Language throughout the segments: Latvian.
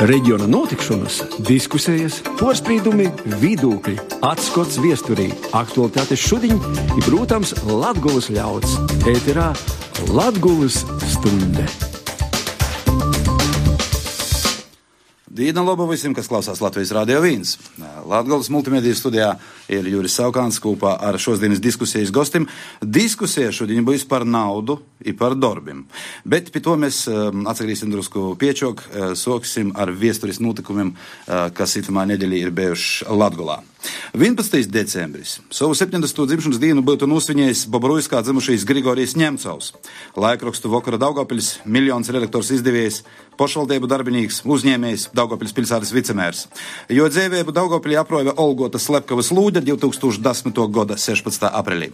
Reģiona notikšanas, diskusijas, porasprīdumi, vidūkļi, atskots viesturī, aktualitātes šudiņ i, protams, Latgulas ļauds. Ēterā Latgulas stunde. Dīna laba visiem, kas klausās Latvijas Radio 1. Latgulas multimediju studijā ir Juris Saukāns kopā ar šodienas diskusijas gostim. Diskusija šodien būs par naudu i par darbim. Bet pie to mēs atsagrīsim drusku piečok, soksim ar viesturis notikumiem, kas itamā nedēļā ir bijuši Latgulā. 11. decembris. Savu 70. dzimšanas dienu būtu nosvinējis Bobrujskā dzimušais Grigorijs Ņemcovs. Laikrakstu Vokara Daugavpiļs, miljons redaktors izdevējs, pašvaldību darbinīgs, uzņēmējs, Daugavpiļs pilsētas vicemērs. Jo dzēvēbu Daugavpiļī aprojava Olgota Slepkavas Lūģa 2010. gada 16. aprīlī.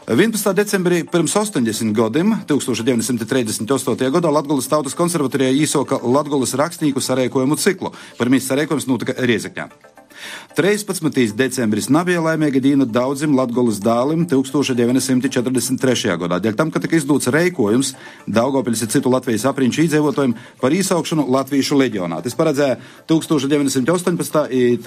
11. decembrī pirms 80 gadiem, 1938. gadā, Latgulas tautas konservatorijā īsoka Latgulas rakstnieku sarēkojumu ciklu. Pirmīs sarēkojums notika Riezekņā. 13. decembris nebija laimīga diena daudzim Latgulas dālim 1943. gadā. Dēļ tam, ka tika izdots reikojums Daugavpiļas ir citu Latvijas apriņķu iedzīvotājiem par īsaukšanu Latviešu leģionā. Tas paredzēja 1918. un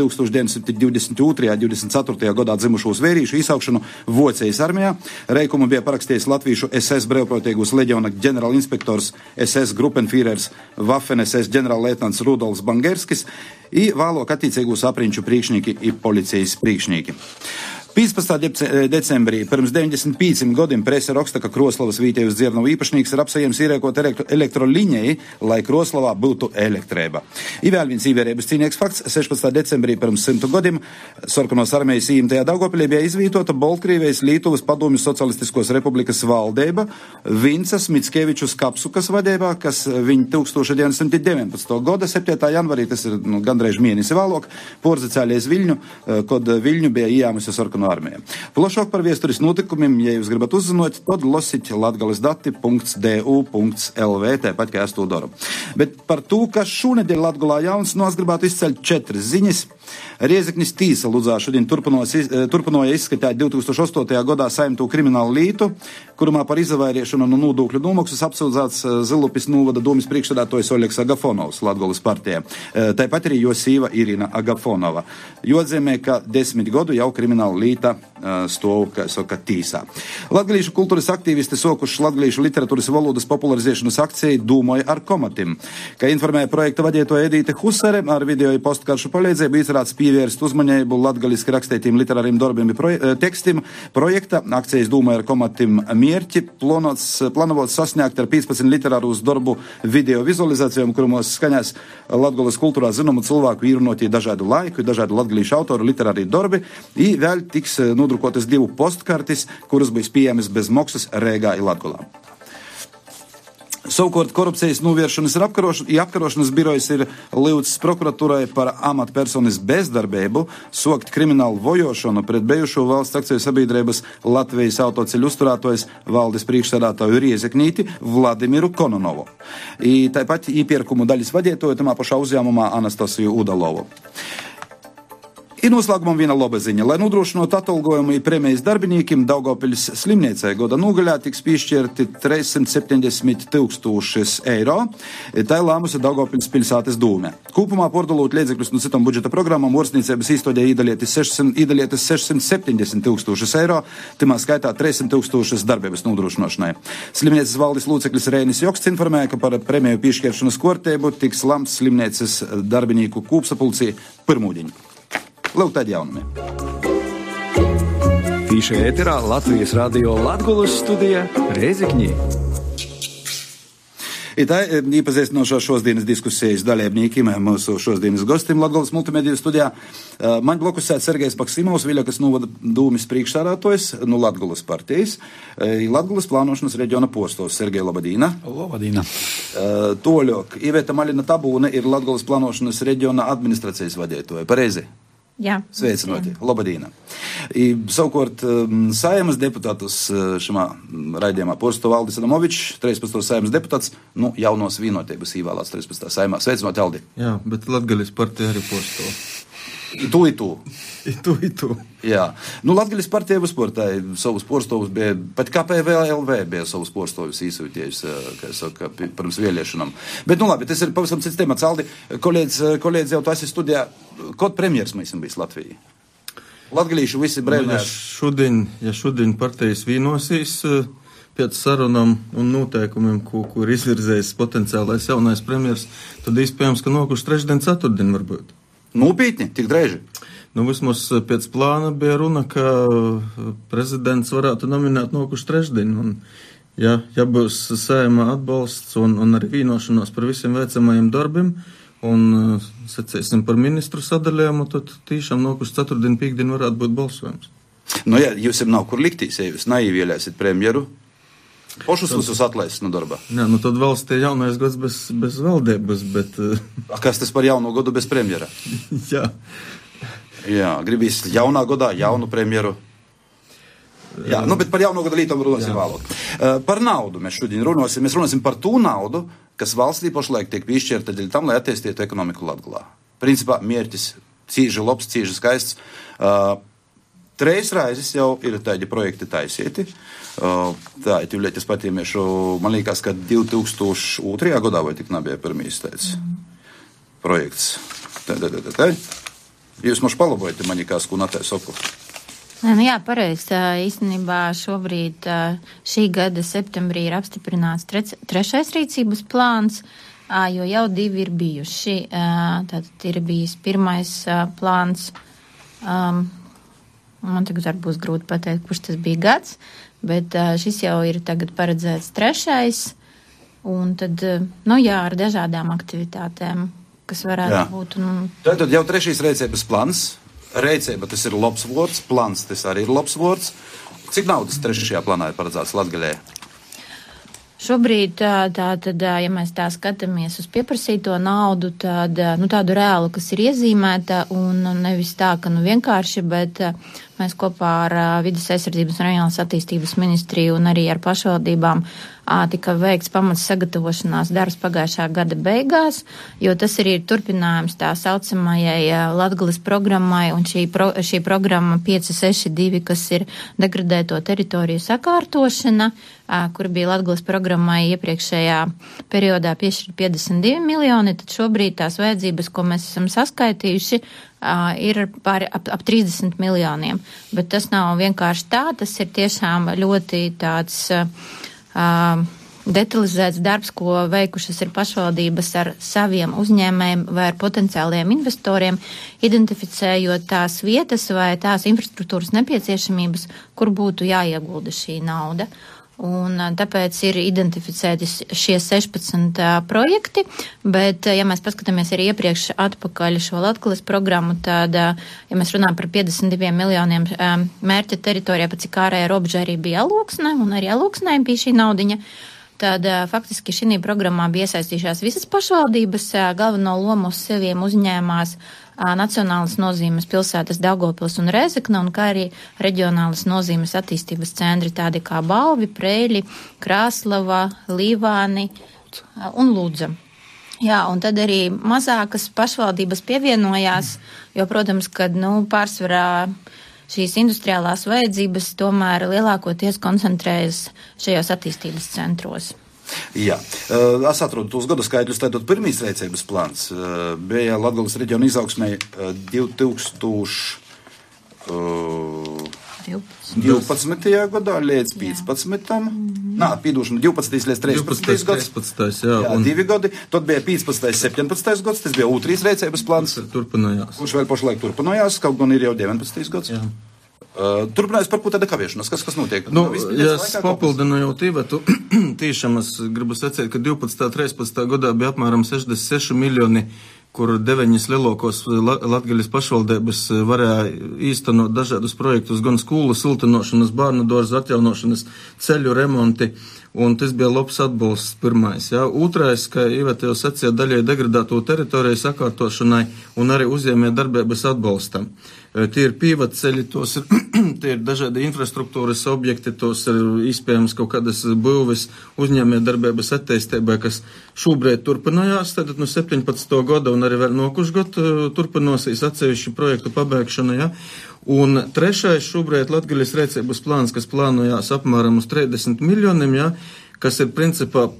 1922. 24. gadā dzimušos vērīšu īsaukšanu Vocijas armijā. Reikumu bija parakstījis Latviešu SS brevprātīgos leģiona ģenerālinspektors SS Gruppenführers Waffen SS ģenerālleitnants Rudolfs Bangerskis i vēlāk attiecīgos apriņķu priekšnieki i policijas priekšnieki. 15. decembrī pirms 95 gadiem presa raksta, ka Kroslavas Vītēvas dzirnavu īpašnieks ir apsējams īrēkot elektroliņai, lai Kroslavā būtu elektrība. I vēl viens īvērības cīnieks fakts. 16. decembrī pirms 100 gadiem Sarkanos armijas īmtajā Daugavpilī bija izvītota Baltkrievijas Lietuvas padomju socialistiskos republikas valdība Vincas Mickevičus Kapsukas vadībā, kas viņa 1919. gada 7. janvarī, tas ir gandrīz mēnesi vēlāk, porzacēlies Viļņu, kad Viļņu bija ījāmusi Sarkanu armija. Plašāk par viesturis notikumiem, ja jūs gribat uzzinot, tad losiķi latgalesdati.du.lv, tāpat kā es to daru. Bet par to, kas šonedēļ Latgulā jauns, es gribētu izceļt 4 ziņas. Riezeknis tīsa Ludzā šodien turpināja izskatīt 2008. gadā saimto kriminālu lītu, kurumā par izavairiešanu no nodokļu nomaksas apsūdzēts Zilupis novada domas priekšsēdētājs Oļegs Agafonovs Latgulas partijā. Tāpat arī jo sīva Irina Agafonova. Joatzīmē, ka 10 gadu jau krimināla līta stāv, kā saka, tīsā. Latgalīšu kultūras aktīvisti sokuši latgalīšu literatūras valodas popularizēšanas akciju Dūmoja ar komatim. Kā informēja projekta vadītāja Edīte Husare, ar video i postkaršu palīdzību izrāds pievērst uzmanību latgaliski rakstētiem literāriem darbiem i tekstim. Projekta akcijas Dūmoja ar komatim mierķi planovots sasniegt ar 15 literārus darbu video vizualizācijām, kurumos skaņās Latgulas kultūrā zināmu cilvēku īrunotī dažādu laiku, dažādu latgalīšu autoru literārī darbi, i vēl tiks nodrukotas 2 postkartis, kuras būs pieejamas bez maksas Rēgā i Latgulā. Savukārt korupcijas novēršanas i apkarošanas birojas ir lūdzis prokuratūrai par amatpersonas bezdarbību sokt kriminālu vojošanu pret bijušo valsts akciju sabiedrības Latvijas autoceļu uzturētājs valdes priekšsēdētāju Riezeknīti Vladimiru Kononovu. I tāpat īpirkumu daļas vadītāju tamā pašā uzņēmumā Anastasiju Udalovu. I noslēgumam viena laba ziņa. Lai nodrošinātu atalgojumu i prēmijas darbiniekiem, Daugavpiļas slimniecei gada nogaļā tiks piešķirti 370 000 eiro. Tā lēmusi Daugavpiļas pilsētas dūme. Kopumā pārdalot līdzekļus no citam budžeta programmām orstniecības īstodē īdalietis 670 000 eiro, timā skaitā 300 000 darbības nodrošināšanai. Slimnieces valdes loceklis Reinis Joksts informēja, ka par prēmiju piešķiršanas kārtību tiks lemts slimnieces darbinieku kopsapulcī pirmūdiņu. Lūk, tādi jaunumi. Tīša ēterā Latvijas radio Latgulas studija Riezekņī. I tā iepazīstinošo šodienas diskusijas dalībniekiem, mūsu šodienas gostim Latgulas multimediju studijā. Man blokus sēd Sergejs Maksimovs, Viļakas novada dūmis priekšsēdētājs no Latgulas partijas. Latgulas plānošanas reģiona postovs. Sergej, labadīna. Labadīna. Toļok, Iveta Malina Tabūne ir Latgulas plānošanas reģiona administrācijas vadītāja. Pareizi? Jā. Sveicinoti. Labadīna. Savukārt Saeimas deputātus šimā raidījumā porsto Aldis Adamovičs, 13. Saeimas deputāts, jaunos vienotības īvēlēts 13. Saeimā. Sveicinoti, Aldi. Jā, bet Latgalis partija arī porsto. Itu. Jā. Nu, Latgaļas partija uzsportāja savus porstovus, pat KPVLV bija savus porstovus īsūtījis, kā saka, pirms vēlēšanām. Bet, nu labi, tas ir pavisam cits temats. Aldi, kolēģis jau tas ir studijā, kod premjers mēs bijis Latvijā? Latgalīši visi brēvnēs. Ja šodien partijas vienosīs pēc sarunām un noteikumiem, kur izvirzējis potenciālais jaunais premjers, tad iespējams, ka nokuši trešdien, ceturtdien varbūt. Nopietni, tik drēži? Nu, vismaz pēc plāna bija runa, ka prezidents varētu nominēt nokuši trešdien. Un, ja būs Saeimā atbalsts un arī vienošanos par visiem veicamajiem darbiem, un secēsim par ministru sadalījumu, tad tīšām nokuši ceturtdien, pīkdien varētu būt balsojums. Nu jā, jūs jau nav kur liktīs, ja jūs naīvielēsiet premjeru. Pošus visus atlaist no darba. Jā, nu tad valstī jaunais gads bez valdības, bet... Kas tas par jauno gadu bez premjera? Jā. Jā, gribīs jaunā gadā jaunu premjeru. Jā, nu, bet par jauno gadu lītam runāsim vēlāk. Par naudu mēs šodien runāsim. Mēs runāsim par tū naudu, kas valstī pašlaik tiek piešķirta dēļ tam, lai attīstītu ekonomiku Latgalā. Principā mērķis cīži labs, cīži skaists. Treis raizes jau ir tādi projekti taisieti. Tā, es patīmiešu, man liekas, ka 2002. Gadā vai tik nebija pirmīs tāds projekts. Tā. Jūs mums palabojat, man liekas, ko natē soku. Nu jā, pareizi. Īstenībā šobrīd šī gada septembrī ir apstiprināts trešais rīcības plāns, jo jau divi ir bijuši. Tātad ir bijis pirmais plāns. Man tagad būs grūti pateikt, kurš tas bija gads, bet šis jau ir tagad paredzēts trešais, un tad, nu jā, ar dažādām aktivitātēm, kas varētu būt. Tātad jau trešais rēcības plāns. Rēcība tas ir labs vārds, plāns tas arī ir labs vārds. Cik naudas trešajā plānā ir paredzēts Latgaļai? Šobrīd, tad, ja mēs tā skatāmies uz pieprasīto naudu, tad, tādu reālu, kas ir iezīmēta, un nevis tā, ka, vienkārši, bet mēs kopā ar Vides aizsardzības un reģionālās attīstības ministriju un arī ar pašvaldībām tika veikts pamats sagatavošanās darbs pagājušā gada beigās, jo tas arī ir turpinājums tā saucamajai Latgales programmai, un šī programma 562, kas ir degradēto teritoriju sakārtošana, kur bija Latgales programmai iepriekšējā periodā piešķirt 52 miljoni, tad šobrīd tās vajadzības, ko mēs esam saskaitījuši, ir ap 30 miljoniem. Bet tas nav vienkārši tā, tas ir tiešām ļoti tāds detalizēts darbs, ko veikušas ir pašvaldības ar saviem uzņēmējiem vai ar potenciāliem investoriem, identificējot tās vietas vai tās infrastruktūras nepieciešamības, kur būtu jāiegulda šī nauda. Un tāpēc ir identificēti šie 16 projekti, bet, ja mēs paskatāmies arī iepriekš atpakaļ šo Latgales programmu, tad, ja mēs runājam par 52 miljoniem mērķa teritorijā, pa cik ārējā robeža arī bija Alūksne, un arī Alūksnē bija šī naudiņa, tad faktiski šī programmā bija iesaistījušās visas pašvaldības, galveno lomu uz seviem uzņēmās nacionālas nozīmes pilsētas Daugavpils un Rēzekne, un kā arī reģionālas nozīmes attīstības centri, tādi kā Balvi, Preļi, Krāslava, Līvāni un Ludza. Jā, un tad arī mazākas pašvaldības pievienojās, jo, protams, kad, pārsvarā šīs industriālās vajadzības tomēr lielākoties koncentrējas šajos attīstības centros. Jā, es atrodu tos gadu skaitļus, tātad pirmīs rēcības plāns bija Latgales reģiona izaugsmē 2012. gadā līdz 15. Nā, pīdūšana 12. līdz 13. gads. Jā, 2 gadi. Tad bija 15. 17. gads, tas bija otrais rēcības plāns. Kurš vēl pašlaik turpinājās, kaut gan ir jau 19. gads. Jā. Turpinājās par ko tāda kavēšanās, kas notiek? Ja es papildinu jau tīvētu, tīšām es gribu sacīt, ka 12. 13. gadā bija apmēram 66 miljoni, kur 9 lielākos Latgaļas pašvaldības varēja īstenot dažādus projektus, gan skolu siltinošanas, bērnu dārzu atjaunošanas, ceļu remonti, un tas bija labs atbalsts pirmais. Jā. Otrais, ka Iveta jau sacīja daļai degradēto teritoriju sakārtošanai un arī uzņēmē darbības atbalstam. Tie ir pīvatceļi, tie ir dažādi infrastruktūras objekti, tos ir iespējams kaut kādas būvis uzņēmē darbības attīstībai, kas šobrīd turpinājās, tad no 17. gada un arī vēl nokušgot turpinosies atsevišķu projektu pabeigšana, ja. Un trešais šobrīd Latgaļas rēcības plāns, kas plānojās apmēram uz 30 miljoniem, ja, kas ir principā,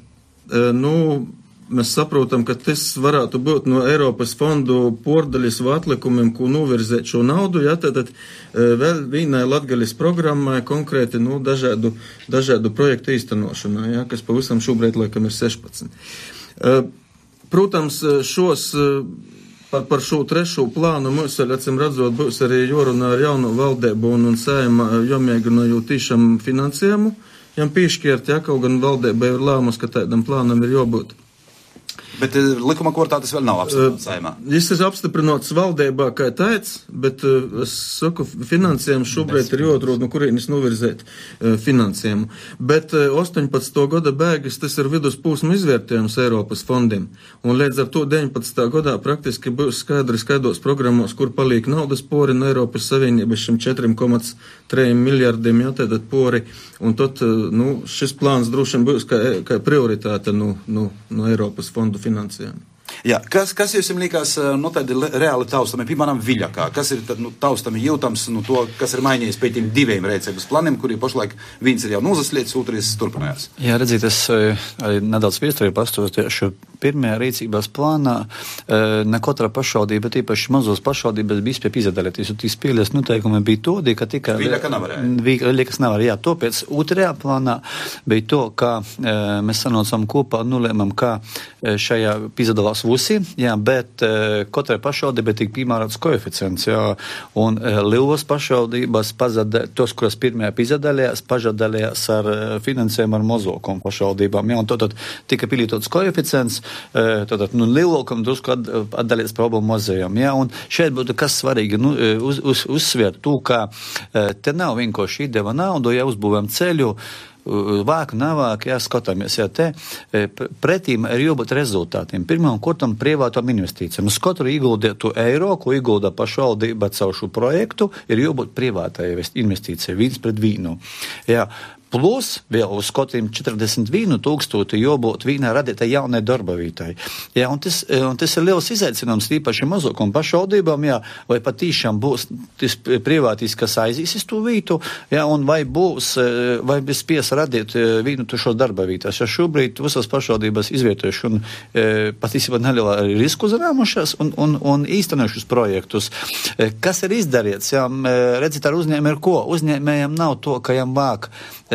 mēs saprotam, ka tas varētu būt no Eiropas fondu pordaļas vai atlikumiem, ko novirzēt šo naudu, ja, tad vēl vienai Latgaļas programmai konkrēti, dažādu projektu īstenošanai, ja, kas pavisam šobrīd laikam ir 16. Protams, par šo trešo plānu mums, acīm redzot, būs arī jorunā ar jauno valdību un Saeima jomēģinājot tīšām finansējumu, jām pīšķiert, ja, kaut gan valdība ir lēmus, ka tādam plānam ir jābūt. Bet likuma kortā tas vēl nav apstiprināts Saeimā. Viņš ir apstiprināts valdībā kā tāds, bet es saku, finansējumu šobrīd ir jāatrod, no kurienes novirzēt finansējumu. Bet 18. gada beigas tas ir viduspūsma izvērtējums Eiropas fondiem. Un līdz ar to 19. gadā praktiski būs skaidros programmos, kur paliek naudas pori no Eiropas Savienības šim 4,3 miljardiem, jā, tātad pori. Un tad, šis plāns droši būs kā prioritāte no Eiropas fondu finansējumu. Jā, kas jums likās, tādi reāli taustami, piemēram, Viļakā? Kas ir tad, taustami jūtams, to, kas ir mainījies pēc tiem diviem rēcības planiem, kuri pašlaik viens ir jau nozaslietis, otrs turpinājās? Jā, redzīt, es arī nedaudz piestāju pastoties šo pirmajā rīcības plānā, ne katra pašvaldība, bet īpaši mazos pašvaldības bija spēja izadalīties, un tīs spēles noteikumi bija todi, ka tikai Viļaka nevarēja. Viļakas nevarēja, jā. Topēc otrajā plānā bija to, ka mēs sanocam kopā un nolēmam, ka šajā izadalās vusi, jā, bet katrai pašvaldībai tika piemērots koeficients, jā, un lielas pašvaldības tos, kuras pirmajā izadalījās, pažadalījās ar finansējumu ar mazākām pašvaldībām, jā, un tad tika pielietots koeficients, lielākam drusku atdalīts problēmu mazajam, jā, un šeit būtu kas svarīgi, uzsvērt to, ka te nav vienkārši iedeva naudu, ja uzbūvēm ceļu, vāk, navāk, skatāmies, te pretīm ir jābūt rezultātiem. Pirmām kārtām privātām investīcijām. Uz katru ieguldītu eiro, ko iegulda pašvaldība caur šo projektu, ir jābūt privātai investīcijai, 1:1. Jā. Plus vēl uz katiem 41,000 jābūt vienā radītai jaunai darba vietai. Jā, un tas ir liels izaicinājums tīpaši mazākām pašvaldībām, jā, vai patīšām būs tas privātīs, kas aizīs uz to vietu, jā, un vai spies radīt vienu šo darba vietas. Ja šobrīd visas pašvaldības izvietojuši un patīsībā nelielā risku uzrāmušās un īstenojušas projektus. Kas ir izdarīts? Jā, redzēt, ar uzņēmēju ir ko? Uzņēmējiem nav to, ka jām vāk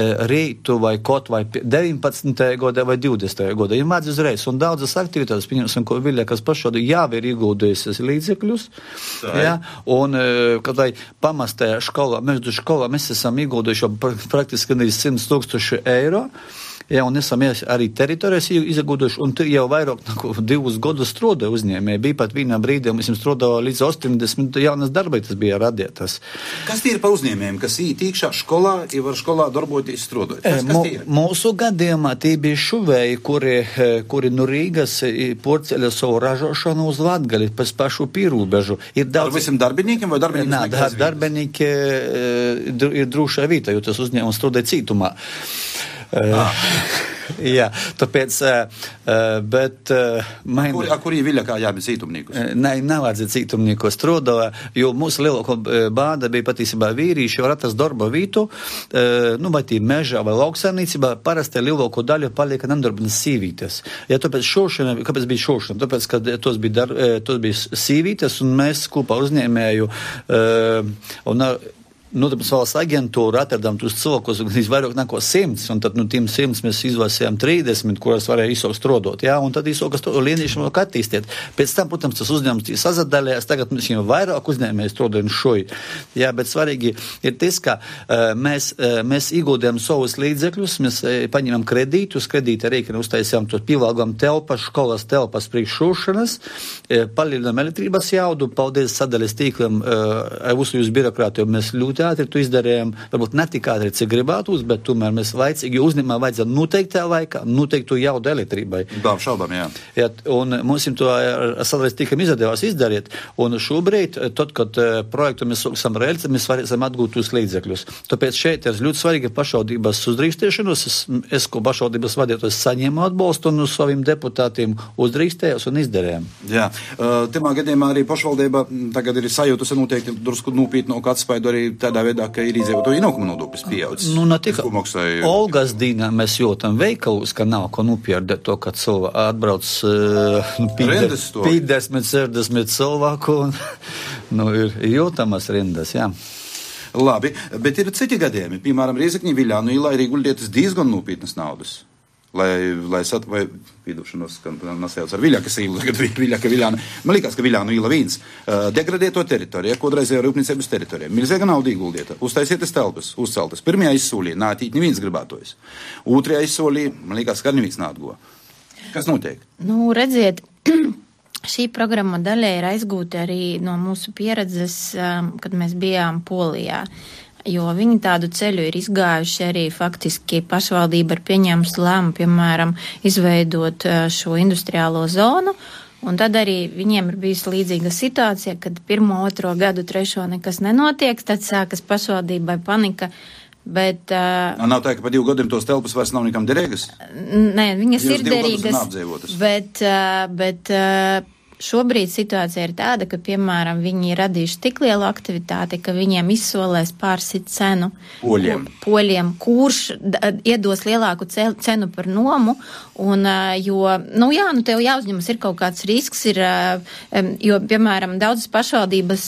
rītu vai kaut vai 19. gadā vai 20. gadā. Ir māc uzreiz, un daudzas aktivitātes, pieņemsim, ko Viļakas pašvaldība jau ir ieguldījusies līdzekļus, jā, un kad vai pamastējā skolā, mēs esam ieguldījuši praktiski 100,000 eiro, jā, un esam arī teritorijas izguduši, un jau vairāk 2 gadus strādāja uzņēmēji. Bija pat vienā brīdī, mēs strādājām līdz 80 jaunas darbības bija radītas. Kas tie ir par uzņēmējiem, kas ītīkšā skolā, ja var skolā darboties strādāt? Mūsu gadījumā tie bija šuvēji, kuri no Rīgas porceļa savu ražošanu uz Latgali, pēc pašu pierobežu. Ar visiem darbiniekiem vai darbiniekiem? Nē, darbinieki ir drūšā vietā, jo tas uzņēmums strādāja cītumā. Jā, tāpēc, bet... Kurī Viļakā jābūt cītumnīkus? Nē, nevajadzēja cītumnīkos strādāja, jo mūsu lielāko bāda bija patīsībā vīrīši, var atrast darba vītu, vai tī mežā vai lauksaimniecībā, parasti lielāko daļu palieka nedarbinas sīvītes. Ja, tāpēc kāpēc bija šošana? Tāpēc, ka tos bija sīvītes, un mēs kopā uzņēmēju, tāpēc valsts aģentūra atradām tos cilvēkus, kas vairāk neko 100, un tad tiem 100 mēs izvēlējām 30, kuras varēja izsaukt strādāt, jā, un tad izsaukt lienīšiem vēl attīstīt. Pēc tam, protams, tas uzņēmums sazadalījās, tagad mēs jau vairāk uzņēmēji strādājam šoji. Jā, bet svarīgi ir tas, ka mēs ieguldījām savus līdzekļus, mēs paņēmām kredītus, kredīta rēķina uztaisījām to pievalgām telpas, školas telpas priekššūšanas, palielinām elektrības jaudu, paldies sadaļas tīklam, visu jūs birokrātiju mēs ļoti ātri to izdarījām, varbūt ne tik ātri, cik gribētos, bet tomēr mēs laicīgi uzņēmumā vajadzētu noteiktā laikā, noteiktu jaudu elektrībai. Dāv šaubām, jā. Jā, un mums to sadreiz tikam izdevās izdarīt, un šobrīd, tad, kad projektu mēs sāksim realizēt, mēs varēsim atgūt tos līdzekļus. Tāpēc šeit ir ļoti svarīgi pašvaldības uzdrīkstēšanos. Es ko pašvaldības vadītājs saņēmu atbalstu un uz saviem deputātiem uzdrīkstējos un izdarījām. Jā, timā gadījumā arī pašvaldība tagad ir sajūtusi noteikti drusku nopietnu atspaidu arī tādā veidā, ka ir iedzīvotāju ienākumu nodoklis pieaudzis. Nu, ne tikai Olgas dīnā mēs jūtam veikalus, ka nav ko nopierdet to, ka cilvēki atbrauc 50-60 cilvēku un ir jūtamas rindas, jā. Labi, bet ir citi gadījumi. Piemēram, Riezekņi Viļānu ielā ir ieguldītas diezgan nopietnas naudas. Lai piedošanos, ka nasajauc ar Viļakas īlu, kad Viļaka Viļāna. Man liekas, ka Viļānu īla 1. Degradēto teritoriju, kodreizējo rūpniecības teritoriju. Milzīga nauda ieguldīta. Uztaisietas telpas, uzceltas. Pirmajā izsolī nātīt neviens gribētojs. Otrajā izsolī, man liekas, ka neviens nātgo. Kas notiek? Nu, redziet, šī programma daļai ir aizgūta arī no mūsu pieredzes, kad mēs bijām Polijā. Jo viņi tādu ceļu ir izgājuši arī faktiski pašvaldība ir pieņēmusi lēmumu, piemēram, izveidot šo industriālo zonu, un tad arī viņiem ir bijusi līdzīga situācija, kad 1, 2 gadu, 3 nekas nenotiek, tad sākas pašvaldībai panika, bet... Nav tā, ka pa 2 gadiem tos telpas vairs nav nekam derīgas? Nē, viņas ir derīgas, bet šobrīd situācija ir tāda, ka, piemēram, viņi ir radījuši tik lielu aktivitāti, ka viņiem izsolēs pārsit cenu poļiem, kurš iedos lielāku cenu par nomu, un, tev jāuzņemas ir kaut kāds risks, jo, piemēram, daudzas pašvaldības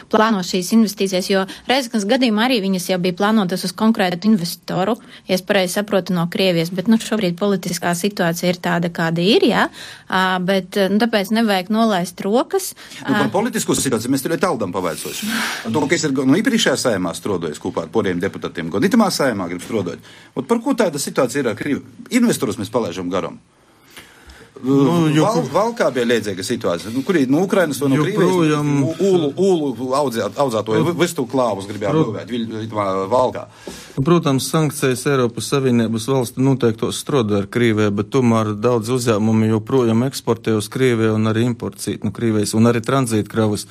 plāno šīs investīcijas, jo Reizeknas gadījumā arī viņas jau bija plānotas uz konkrētu investoru, ja es pareizi saprotu no Krievijas, bet, šobrīd politiskā situācija ir tāda, kāda ir, jā, bet, tāpēc nevajag nolaist rokas. Par politisko situāciju mēs tur taldam pavaicos. To, ka es ir iepriekšējā saimā strādājis kopā ar poriem deputātiem, gan itamā saimā grib strādāt. Par ko tāda situācija ir ar Krievi? Investorus mēs palaižam garam. Valkā bija liedzīga situācija. Kur ir no Ukrainas vai no Krievijas? Ūlu audzēto vistu klāvus gribējām būvēt Valkā. Protams, sankcijas Eiropas Savienības valstu noteiktos strādā ar Krieviju, bet tomēr daudz uzņēmumi joprojām eksportē uz Krieviju un arī importīt no Krievijas un arī tranzītkravas.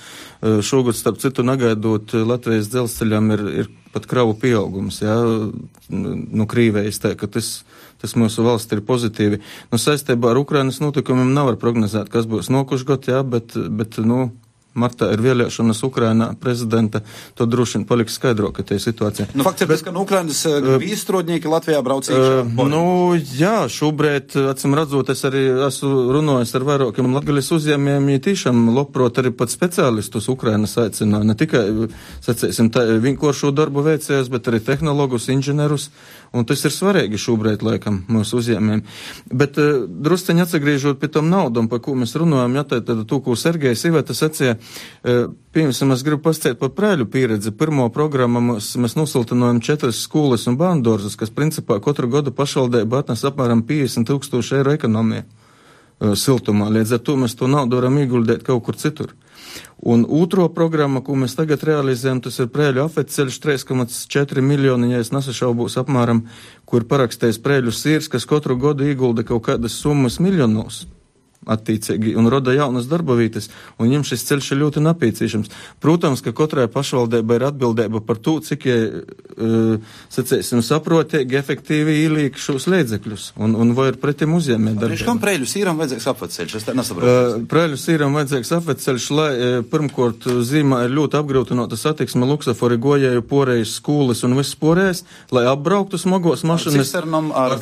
Šogad, starp citu, negaidot Latvijas dzelzceļam ir pat kravu pieaugums, jā, no Krievijas, tā, ka tas mūsu valsts ir pozitīvi. Saistībā ar Ukrainas notikumiem nevar prognozēt, kas būs nokušgot, jā, bet martā ir vēlēšanas Ukrainā prezidenta, to droši vien paliks skaidrāk, ka tie situācija. Fakts ir, ka Ukrainas vīstrodnieki Latvijā brauc iekšā. Jā, šobrīd, acīm redzot, es arī esmu runājis ar vairākiem latgaļas uzņēmējiem, ja tiešām labprot arī pat speciālistus Ukrainas aicināja, ne tikai, sacēsim, vienkāršo darbu veicējus, bet arī tehnologus, inženierus, un tas ir svarīgi šobrīd, laikam, mūsu uzņēmējiem. Bet drusceņi atsagriežot pie tam naudam, par ko mēs runājam, jā, tad to, ko Sergejs Iveta sacīja, piemēram, es gribu pastāstīt par Preiļu pieredzi. Pirmo programmu mēs nosiltinojam 4 skolas un bērndārzus, kas principā katru gadu pašvaldība atnes apmēram 50,000 eiro ekonomiju siltumā. Līdz ar to mēs to naudu varam ieguldīt kaut kur citur. Un otro programmu, ko mēs tagad realizējam, tas ir Preiļu afetceļš 3,4 miljoni, ja es nesašaubos apmēram, kur parakstējis Preiļu sīrs, kas katru gadu iegulda kaut kādas summas miljonos. Attiecīgi, un roda jaunas darbavītes, un viņam šis ceļš ir ļoti nepieciešams. Protams, ka katrai pašvaldībai ir atbildība par to, cik saprotīgi, efektīvi ielīk šos līdzekļus, un vai ir pretim uzņēmē darbība. Kam Preiļu sīram vajadzīgs apveceļš? Es tā nesaprotu. Preiļu sīram vajadzīgs apveceļš, lai pirmkort zīmā ir ļoti apgrūtinota satiksme luksafori gojēju porējas skolas un viss porējas, lai apbrauktu smagos mašinas ar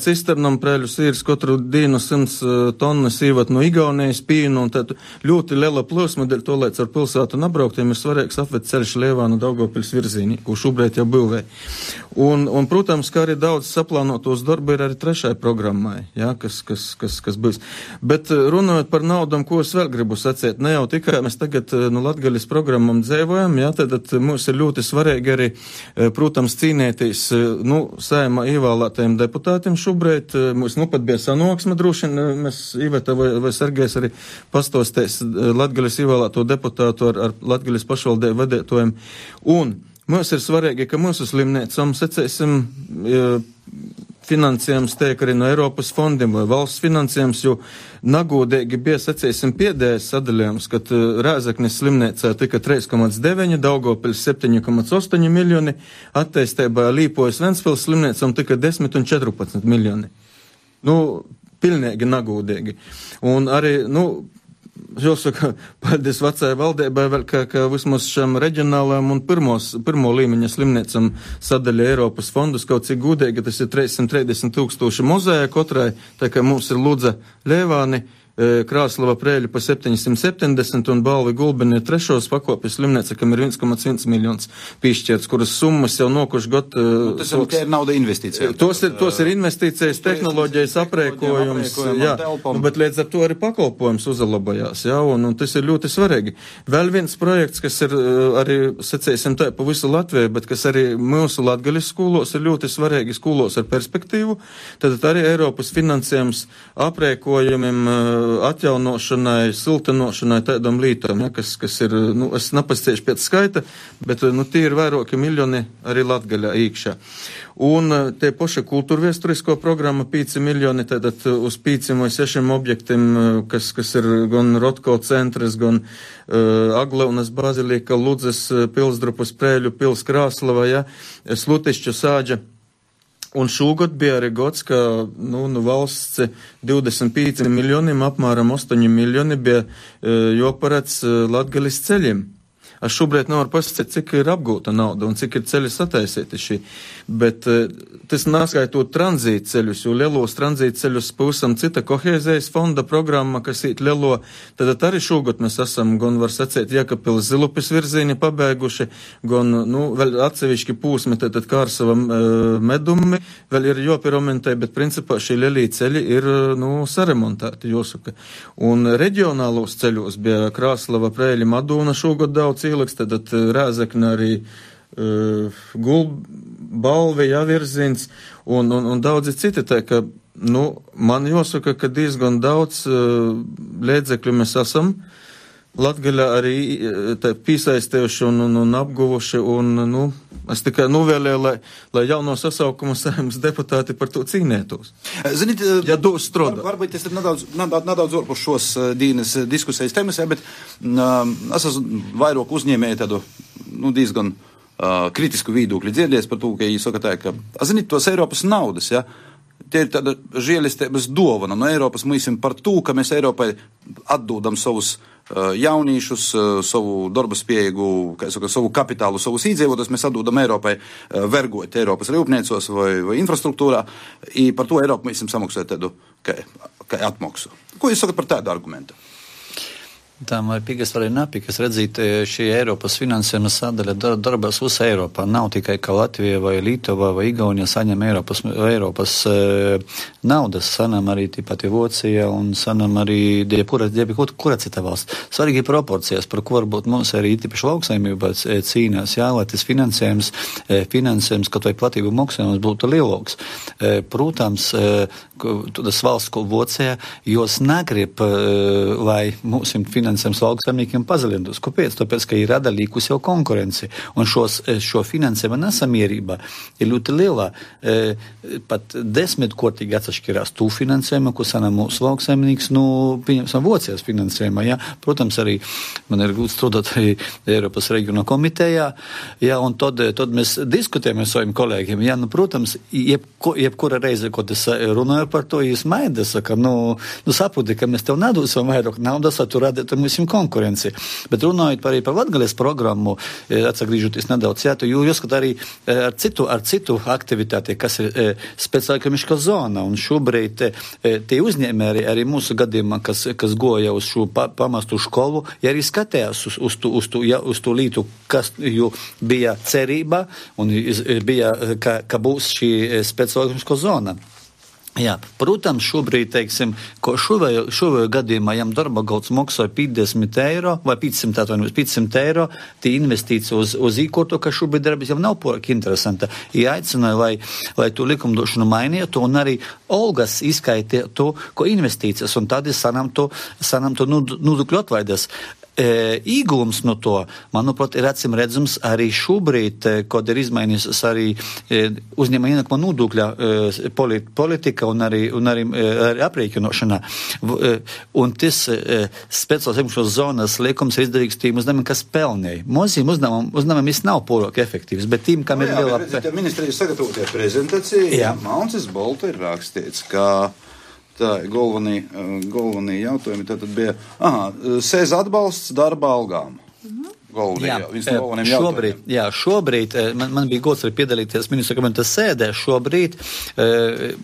cisternam Preiļu sīrs katru dienu 100 tonnas īvat no Igaunijas pīnu, un tad ļoti liela plūsma, dēļ to, lai ar pilsētu nabrauktiem ir svarīgs apved ceļš Lievānu Daugavpils virzīni, ko šobrīd jau būvē. Un, protams, kā arī daudz saplānotos darbu ir arī 3. programmai, jā, kas būs. Bet runājot par naudam, ko es vēl gribu sacīt, ne jau tikai mēs tagad Latgaļas programmam dzēvojam, jā, tad mums ir ļoti svarīgi arī, protams, cīnēties, saimā ievēlētajiem deputātiem šobrīd, mums pat bija sanāksme droši, mēs Iveta vai Sergejs arī pastostēs Latgalis ievēlēto deputātu ar Latgalis pašvaldību vadētojiem. Un mums ir svarīgi, ka mūsu slimnīcām, secēsim, finansējums tiek arī no Eiropas fondiem vai valsts finansējums, jo nagūdīgi bija, secēsim, pēdējais sadalījums, kad Rēzeknes slimnīcā tika 3,9, Daugavpils 7,8 miljoni, attīstībā Līpojas Ventspils slimnīcām tika 10 un 14 miljoni. Pilnīgi nagūdīgi. Un arī, jāsaka, paldies vecajai valdībai vēl, ka vismaz šam reģionālajam un pirmo līmeņa slimniecam sadaļa Eiropas fondus, kaut cik gudīgi, tas ir 330,000 mozēja kotrai, tā kā mums ir Ludza Ļēvāni, Krāslava Prēļa pa 770 un Balvi Gulbeni trešos pakopes slimnīca, kam ir 1,1 miljons piešķirts, kuras summas jau nokuši gadu. Tas ir nauda investīcija. Tos ir investīcijas, tehnoloģijas, aprēkojums, jā, bet līdz ar to arī pakalpojums uzlabojās, jā, un tas ir ļoti svarīgi. Vēl viens projekts, kas ir arī, secēsim tā, pa visu Latviju, bet kas arī mūsu Latgalis skolos ir ļoti svarīgi skolos ar perspektīvu, tad arī Eiropas finansējums aprēkojumiem, atjaunošanai, siltinošanai, tādam lītam, ja, kas ir, es nepasciešu pēc skaita, bet, tie ir vairāki miljoni arī Latgaļā īkšā. Un tie paši kultūrviesturisko programma 5 miljoni, tātad uz 5 vai 6 objektiem, kas ir gan Rotko centrs, gan Agleunas bazilika, Ludzes pilsdrupas, Prēļu pils, Krāslava, ja, Slutišķu sāģa. Un šogad bija arī gods, ka valsts 25 miljoniem, apmēram 8 miljoni bija joparēc Latgalis ceļiem. Es šobrīd nevaru pasakāt, cik ir apgūta nauda un cik ir ceļi sataisīti šī, bet tas neskaitot tranzīta ceļus, jo lielos tranzīta ceļus pavisam cita kohēzijas fonda programma, kas īt lielo, tad arī šogad mēs esam, gan var sacīt, Jēkabpils Zilupis virzīni pabeiguši, gan, vēl atsevišķi pūsmi, tad Kārsava medumi, vēl ir jopiromentē, bet principā šī lielie ceļi ir, saremontēti, jāsaka. Un reģionālos ceļos bija Krāslava, Prēļa, Madūna šogad daudz ieliks, tad Rēzekne arī Balvi, Javirziņš un daudzi citi, tā ka, man jāsaka, ka diezgan daudz līdzekļu mēs esam Latgaļā arī piesaistījuši un apguvuši, un, es tikai novēlēju, lai jauno sasaukumu saimnes deputāti par to cīnētos. Zinīt, ja dos strādā. Varbūt es nedaudz orpus šos dienas diskusijas temas, bet es esmu vairāk uzņēmēju tādu, diezgan kritisku viedokļu dzirdēs par to, ka viņi saka tā, ka, zinīt, tos Eiropas naudas, ja, tie ir tāda žēlistības dovana no Eiropas mūsim par to, ka mēs Eiropai atdodam savus jaunīšus, savu darba spējīgu, savu kapitālu, savus iedzīvotājus, mēs atdodam Eiropai vergot Eiropas rūpniecos vai infrastruktūrā, i par to Eiropa mēs samaksāja tādu, kā atmaksu. Ko jūs sakat par tādu argumentu? Tā man ir pigas arī napikas redzīt, šī Eiropas finansējuma sadaļa darbās visā Eiropā. Nav tikai, ka Latvija vai Lietuva vai Igaunija saņem Eiropas naudas, sanam arī tīpat Vācija un sanam arī kura cita valsts. Svarīgi proporcijas, par ko varbūt mums arī tīpaši lauksaimībā cīnās, jā, lai tas finansējums, kaut vai platību maksājums būtu lielāks. Protams, tas valsts, ko Vācija, jos negrib, lai mūsim finansējums lauksaimniekiem pazalintos. Kāpēc? Tāpēc, ka ir rada līkus jau konkurenci. Un šo finansējuma nesamierība ir ļoti lielā. Pat 10-kortīgi atsašķirās tū finansējuma, ko sanā mūsu lauksaimnieks, pieņemsim, Vācijas finansējuma. Ja? Protams, arī man ir gūts strādāt arī Eiropas reģiona komitejā. Ja? Un tad mēs diskutējam ar saviem kolēģiem. Ja? Protams, jebkura reize, ko es runāju par to, jūs maida, saka, saproti, ka mēs tev nedosim vairāk naudas, tu radīt mūsim konkurenci. Bet runājot arī par Latgales programmu, atsagrīžoties nedaudz, jo jāskat arī ar citu aktivitāti, kas ir speciālika zona. Un šobrīd tie uzņēmēji arī mūsu gadījumā, kas goja uz šo pamastu skolu, ja arī skatījās uz to lītu, kas jau bija cerība un bija, ka būs šī speciālika zona. Jā, protams, šobrīd, teiksim, ko šovējo gadījumā, jām darba galds maksāja 50 eiro vai 500 eiro, tī investīcija uz īkorto, ka šobrīd darbs jau nav poraki interesanta. Ja aicināja, lai to likumdošanu mainītu un arī algas izskaitē to, ko investīcijas, un tad sanām to nodokļu atvaidas. Īgums no to, manuprāt, ir acīm redzams arī šobrīd, kad ir izmainījusies arī uzņēmuma ienākuma nodokļa politika un arī aprēķinošana. Un tas speciāls ekonomiskās zonas liekums ir izdarīgs tiem uzņēmumiem, kas pelnēja. Moziem uzņēmumiem nav porok efektīvs, bet tiem, kam ir liela... Ministrijas sagatavotie prezentācija, Maucis Bolta ir rakstīts, ka tā galvenie jautājumi tātad bija, sēz atbalsts darba algām. Šobrīd man bija gods arī piedalīties ministru kabineta sēdē. Šobrīd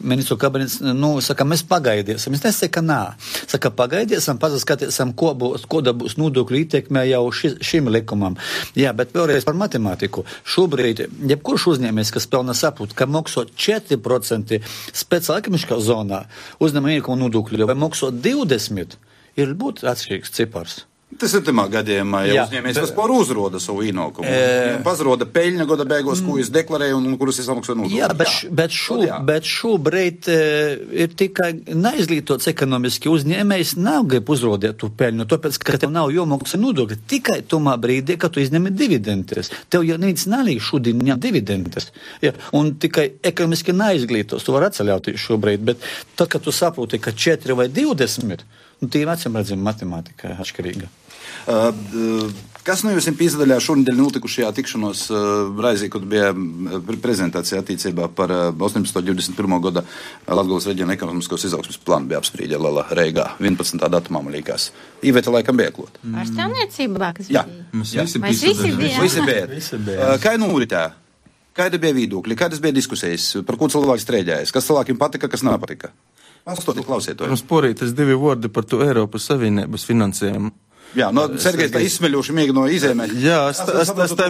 ministru kabinets, saka, mēs pagaidiesim. Es nesaka, ka nā. Saka, pagaidiesim, paskatīsim, koda būs nodokļu ietekmē jau šim likumam. Jā, bet vēlreiz par matemātiku. Šobrīd, jebkurš uzņēmējs, kas pelna saprot, ka maksā 4% speciāla ekonomiskā zonā uzņēmuma ienākuma nodokļu vai maksā 20%, ir būt atšķirīgs cipars. Tas ir tamā gadījumā, ja uzņēmējs vispār uzroda savu ienākumu. Pazroda peļņa goda beigos, ko jūs deklarēja un kurus es samaksāju nodokļu. Bet šobrīd ir tikai neizglītots ekonomiski uzņēmējs nav grib uzrodēt tu peļņu, tāpēc, ka tev nav jomaksā nodokļi. Tikai tomā brīdī, kad tu izņemi dividendes. Tev jau neviens nalīg šodien ņem dividendes. Ja, un tikai ekonomiski neizglītos, tu var atceļauties šobrīd, bet tad, kad tu saproti, ka 4 vai 20, tī acīm redzam matemātika atšķirīga. Kas no jums pīzadaļā šonedēļ notikušajā tikšanos raizī, kad bija prezentācija attiecībā par 18.21. gada Latgales reģiona ekonomiskos izaugsmes plānu bija apsprīdē Lela Reigā 11. datumā, man liekas. Iveta laikam bija klāt. Pārstāvniecībā, kas bija? Mēs visi bija. Kā noritē? Kāda bija viedokļi? Kādas bija diskusijas? Par ko cilvēks strēģējas? Kas cilvēkiem patika, kas nepatika? Pastāstiet, klausiet to. Mums porītas 2 vārdi par to Eiropas Savienības finansējumu. Jā, Sergejs tā izsmeļoši mēģino izēmēt. Jā, es tā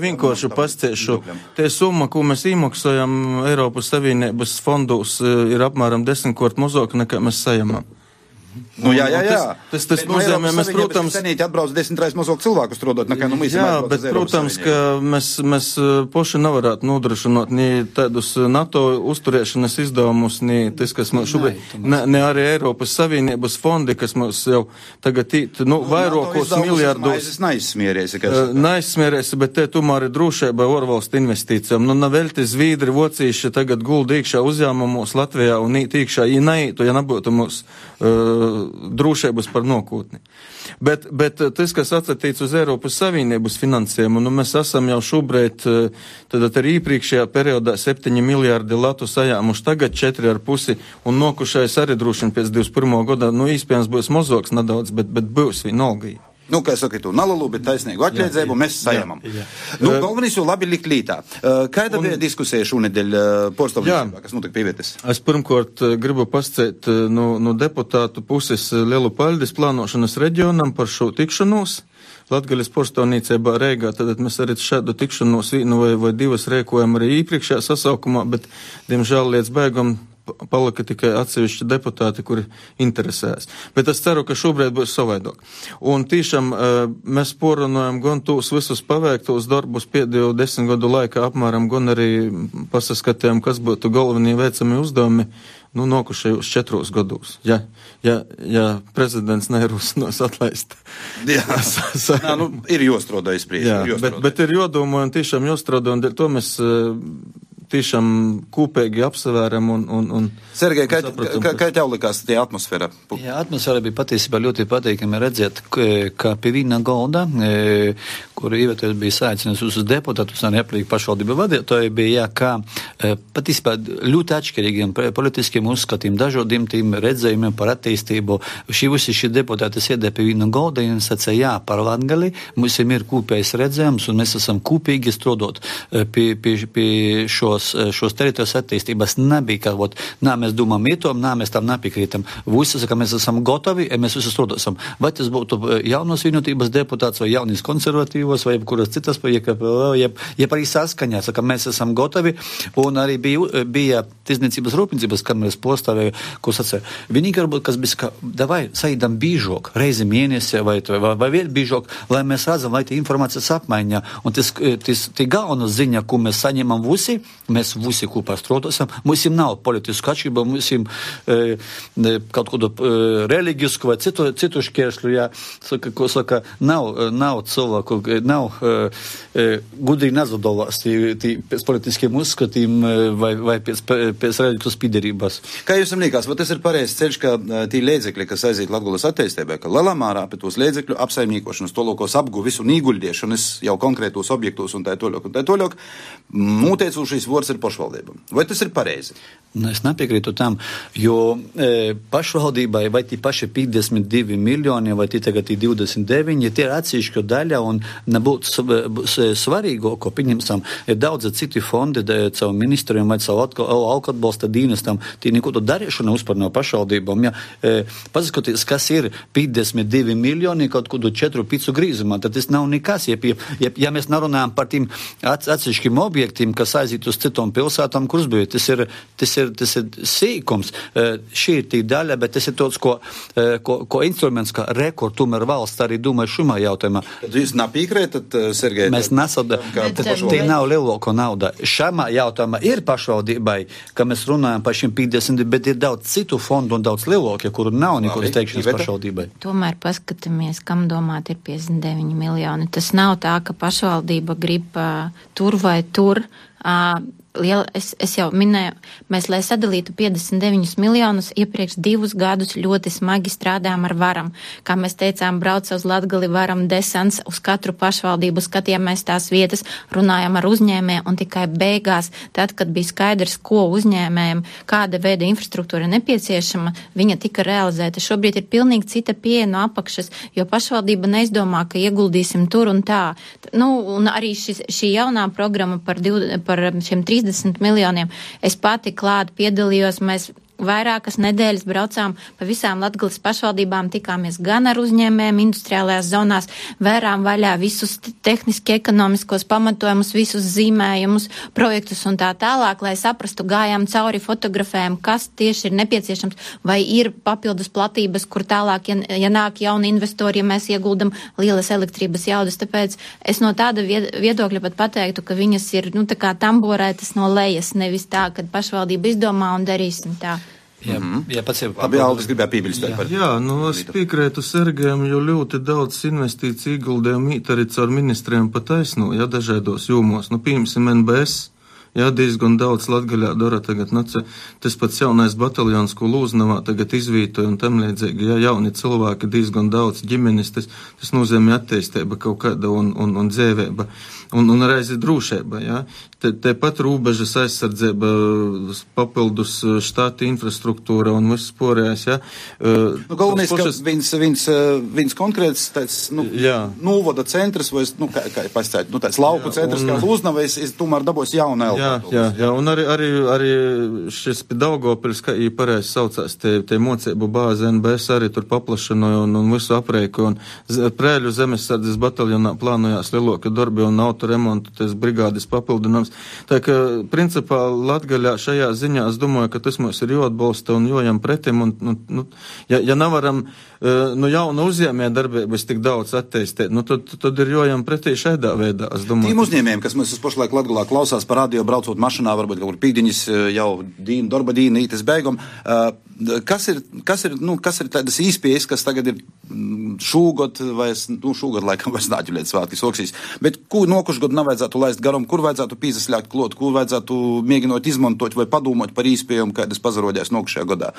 vienkārši pastāstīšu. Tie summa, ko mēs iemaksājam Eiropas Savienības fondos, ir apmēram 10 kort mazāk nekā mēs saņemam. Jā. Tas nozīmē, mēs, protams, senīti atbrauc 10 reizes mazāk cilvēku strādāt, nekā mēs bet, protams, ka mēs poši nevarētu nodrošināt ni tādus NATO uzturēšanas izdevumus, ni tas, kas mums šobrīd, ne arī Eiropas Savienības fondi, kas mums jau tagad vairākos miljārdos. Neizsmierēsi, bet te tomēr ir drošība ārvalstu investīcijām. Navelti Zviedri, Vocīši tagad gulda iekšā uzņēmumos Latvijā un īt iekšā, ja neītu, ja nebūtu mums drošības par nākotni. Bet tas, kas atsatīts uz Eiropas Savienības finansējumu, mēs esam jau šobrīd, tad arī iepriekšējā periodā 7 miljārdi latu sajāmuši, tagad 4,5 un nokušais arī droši pēc 21. gada, īspējams būs mazāks nedaudz, bet būs vienalga. Kā saka, tu nalalu, bet taisnīgu atļēdzību mēs sajamam. Galvenais jau labi likt lītā. Kāda bija diskusija šonedēļ porstāvniecībā, kas notika pievietas? Es pirmkārt gribu pasciet no deputātu puses lielu paldies plānošanas reģionam par šo tikšanos. Latgales porstāvniecībā Reigā, tad mēs arī šādu tikšanos vienu vai 2 rēkojam arī iepriekšējā sasaukumā, bet, diemžēl, līdz beigam palika tikai atsevišķi deputāti, kuri interesēs. Bet es ceru, ka šobrīd būs savaidāk. Un tiešām mēs porunājam gan tos visus paveiktos darbus pēdējo 10 gadu laikā apmēram, gan arī pasaskatījām, kas būtu galvenie veicami uzdevumi nokušajos 4 gados. Ja prezidents neierosinās atlaist. Jā, ir jāstrādā izpriekš. Bet ir jādomā un tiešām jāstrādā, un dēļ to mēs tiešām kūpīgi apsavēram un Sergej, kā tev likās tie atmosfēra? Jā, atmosfēra bija patiesībā ļoti patīkami redzēt, ka pie viena galda, kur Iveta bija saicinājusi uz deputātus un aplīgi pašvaldību vadītāji, bija, ka patiesībā ļoti atšķirīgiem politiskiem uzskatiem, dažādiem tiem redzējumiem par attīstību. Visi deputāti sēdē pie viena galda un sacīja, jā, par Latgali mums ir kopējs redzējums un mēs esam kopīgi strādāt pie šos šos teritorijas attīstības nebija, ka, mēs domājam ietom, mēs tam nepiekrītam. Visi saka, mēs esam gotovi, mēs visi strādāsim. Vai tas būtu jaunos vienotības deputāts, vai jaunīs konservatīvos, vai kuras citas, jeb arī saskaņā, saka, mēs esam gotovi, un arī bija tirdzniecības rūpniecības kameras postāvēja, ko sacīja. Vienīgi varbūt, kas bija, ka davai saīdam bīžok, reizi mēnesī, vai vēl bīžok, lai mēs redzam, lai tie informācijas apmaiņā. Un tas galvena ziņa, ko mēs saņemam visi, mēs visi kopā strādāsim, mums nav politisku atšķirību, mums kaut kādu reliģisku vai citu šķēršļu, ko saka, nav cilvēku, nav gudīgi nazadovās pēc politiskiem uzskatiem vai pēc reliģiskas piederības. Kā jūs liekas, vai tas ir pareizs ceļš, ka tī līdzekļi, kas aiziet Latgulas attīstībai, ka lielā mērā pie tos līdzekļu apsaimniekošanas, tolokos apguvis un īguļdiešanas jau konkrētos objektos un tā toļok, mūteicūšīs vārds ir pašvaldībam. Vai tas ir pareizi? Es nepiekrītu tam, jo pašvaldībai vai tie paši 52 miljoni, vai tie tagad 29, tie ir atsevišķa daļa un nebūtu svarīgāko, pieņemsim, ir daudz citi fondi, caur ministriem vai caur alku atbalsta dienestam, tie neko to darīšana uzpar no pašvaldībām. Pasakoties, kas ir 52 miljoni kaut kādu 4-5 grīzumā, tad tas nav nekas. Ja mēs nerunājam par tiem atsevišķiem objektiem, kas aiziet uz citām pilsētām, kuras bija, tas ir sīkums. Šī ir tī daļa, bet tas ir tāds, ko instruments, kā rekord, tomēr valsts arī domāja šumā jautājumā. Tad jūs nepiekrītat, Sergej? Mēs nesadām, tie nav lielāko nauda. Šamā jautājumā ir pašvaldībai, ka mēs runājam par šiem 50, bet ir daudz citu fondu un daudz lielākie, kuru nav nekodas teikšanas pašvaldībai. Tomēr paskatāmies, kam domāt ir 59 miljoni. Tas nav tā, ka pašvaldība grib tur vai tur. Es jau minēju, mēs, lai sadalītu 59 miljonus, iepriekš 2 gadus ļoti smagi strādājām ar varam. Kā mēs teicām, brauca uz Latgali varam desants, uz katru pašvaldību skatījāmies tās vietas, runājām ar uzņēmējiem, un tikai beigās, tad, kad bija skaidrs, ko uzņēmējiem, kāda veida infrastruktūra nepieciešama, viņa tika realizēta. Šobrīd ir pilnīgi cita pieeja no apakšas, jo pašvaldība neizdomā, ka ieguldīsim tur un tā. Un arī šī jaunā programma par šiem 30 miljoniem. Es pati klāt piedalījos, mēs vairākas nedēļas braucām pa visām Latgales pašvaldībām, tikāmies gan ar uzņēmējiem industriālajās zonās, vērām vaļā visus tehniski ekonomiskos pamatojumus, visus zīmējumus, projektus un tā tālāk, lai saprastu, gājām cauri, fotografējam, kas tieši ir nepieciešams, vai ir papildus platības, kur tālāk, ja nāk jauni investori, ja mēs ieguldam lielas elektrības jaudas. Tāpēc es no tāda viedokļa pat pateiktu, ka viņas ir, tā kā tamborētas no lejas, nevis tā, kad pašvaldība izdomā un darīsim tā. Jā, pats jau Aldis gribēja piebilstēt par. Jā, es piekrītu Sergejam, jo ļoti daudz investīciju ieguldījumu arī caur ministriem pa taisno, dažādos jomos. Piemēram, NBS. Diezgan daudz Latgaļā dara tagad, tas pats jaunais bataljons, ko Lūznavā tagad izvītoja un tam līdzīgi, jauni cilvēki, diezgan daudz ģimenes, tas nozīmē attīstība kaut kāda un dzēvēba, un reizi drūšība, Te pat rūbežas aizsardzība, papildus štāti infrastruktūra un viss porējais, Galvenais, ka viens konkrēts tāds, nūvoda centrs, vai, kā pastāīt, tāds lauku centrs, kā Lūznavā, es tomēr dabos jauna elpa. Jā, un arī šis pie Daugavpils, kā pareizi saucās, te mocību bāze NBS arī tur paplašanoja un visu apreiku, un Prēļu zemesardzes bataljonā plānojās lielāka darbi un autoremontu, tas brigādes papildinājums. Tā ka, principā, Latgaļā šajā ziņā es domāju, ka tas mums ir jāatbalsta un jojam pretim, un, ja nevaram jauna uzņēmē darbības tik daudz attīstīt, tad ir jojam pretī šādā veidā, es domāju. Tiem uzņēmējiem, kas mēs pašlaik Latgalā klausās par radio, braucot mašinā, varbūt kaut kur pīkdiņas jau darba dīna, ītas beigum, kas ir tādas īspējas, kas tagad ir šūgad, vai šūgad laikam vairs nāķuliet svātki soksīs, bet ko nokušgad nevajadzētu laist garam, kur vajadzētu pīzaslēgt klot, kur vajadzētu mēģinot izmantot vai padomot par īspējām, kādas pazarodēs nokušajā gadā?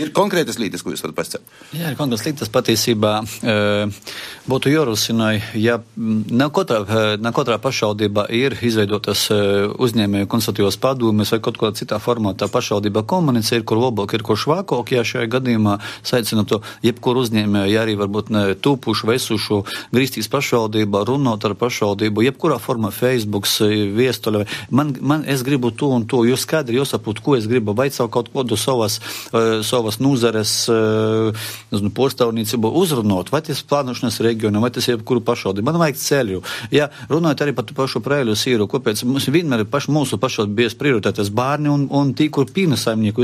Ir konkrētas lietas, ko jūs varat pasakāt? Jā, ir konkrētas lietas patiesībā būtu jārosina, ja ne katrā pašvaldībā ir izveidotas uzņēmēju konsultatīvās padomes vai kaut kādā citā formātā pašvaldībā komunicē, ir kur labāk, ir kur švākāk, ja šajā gadījumā saicina to jebkuru uzņēmēju, ja arī varbūt ne tūpušu, vesušu, grīstīs pašvaldībā, runāt ar pašvaldību, jebkurā formā Facebooks, viestuļa. Es gribu to un to, jūs skaidri jāsaprot, ko es gribu, vai savu kaut kādu savas nūzares porstavniecību uzrunot, vai tas plānošanas reģionu, vai tas jebkuru pašvaldību. Man vajag ceļu. Ja runājot arī par pašu Preiļu sīru, kāpēc mums vienmēr ir mūsu pašvaldību bijis prioritātes bērni un tī, kur pīna saimnieku,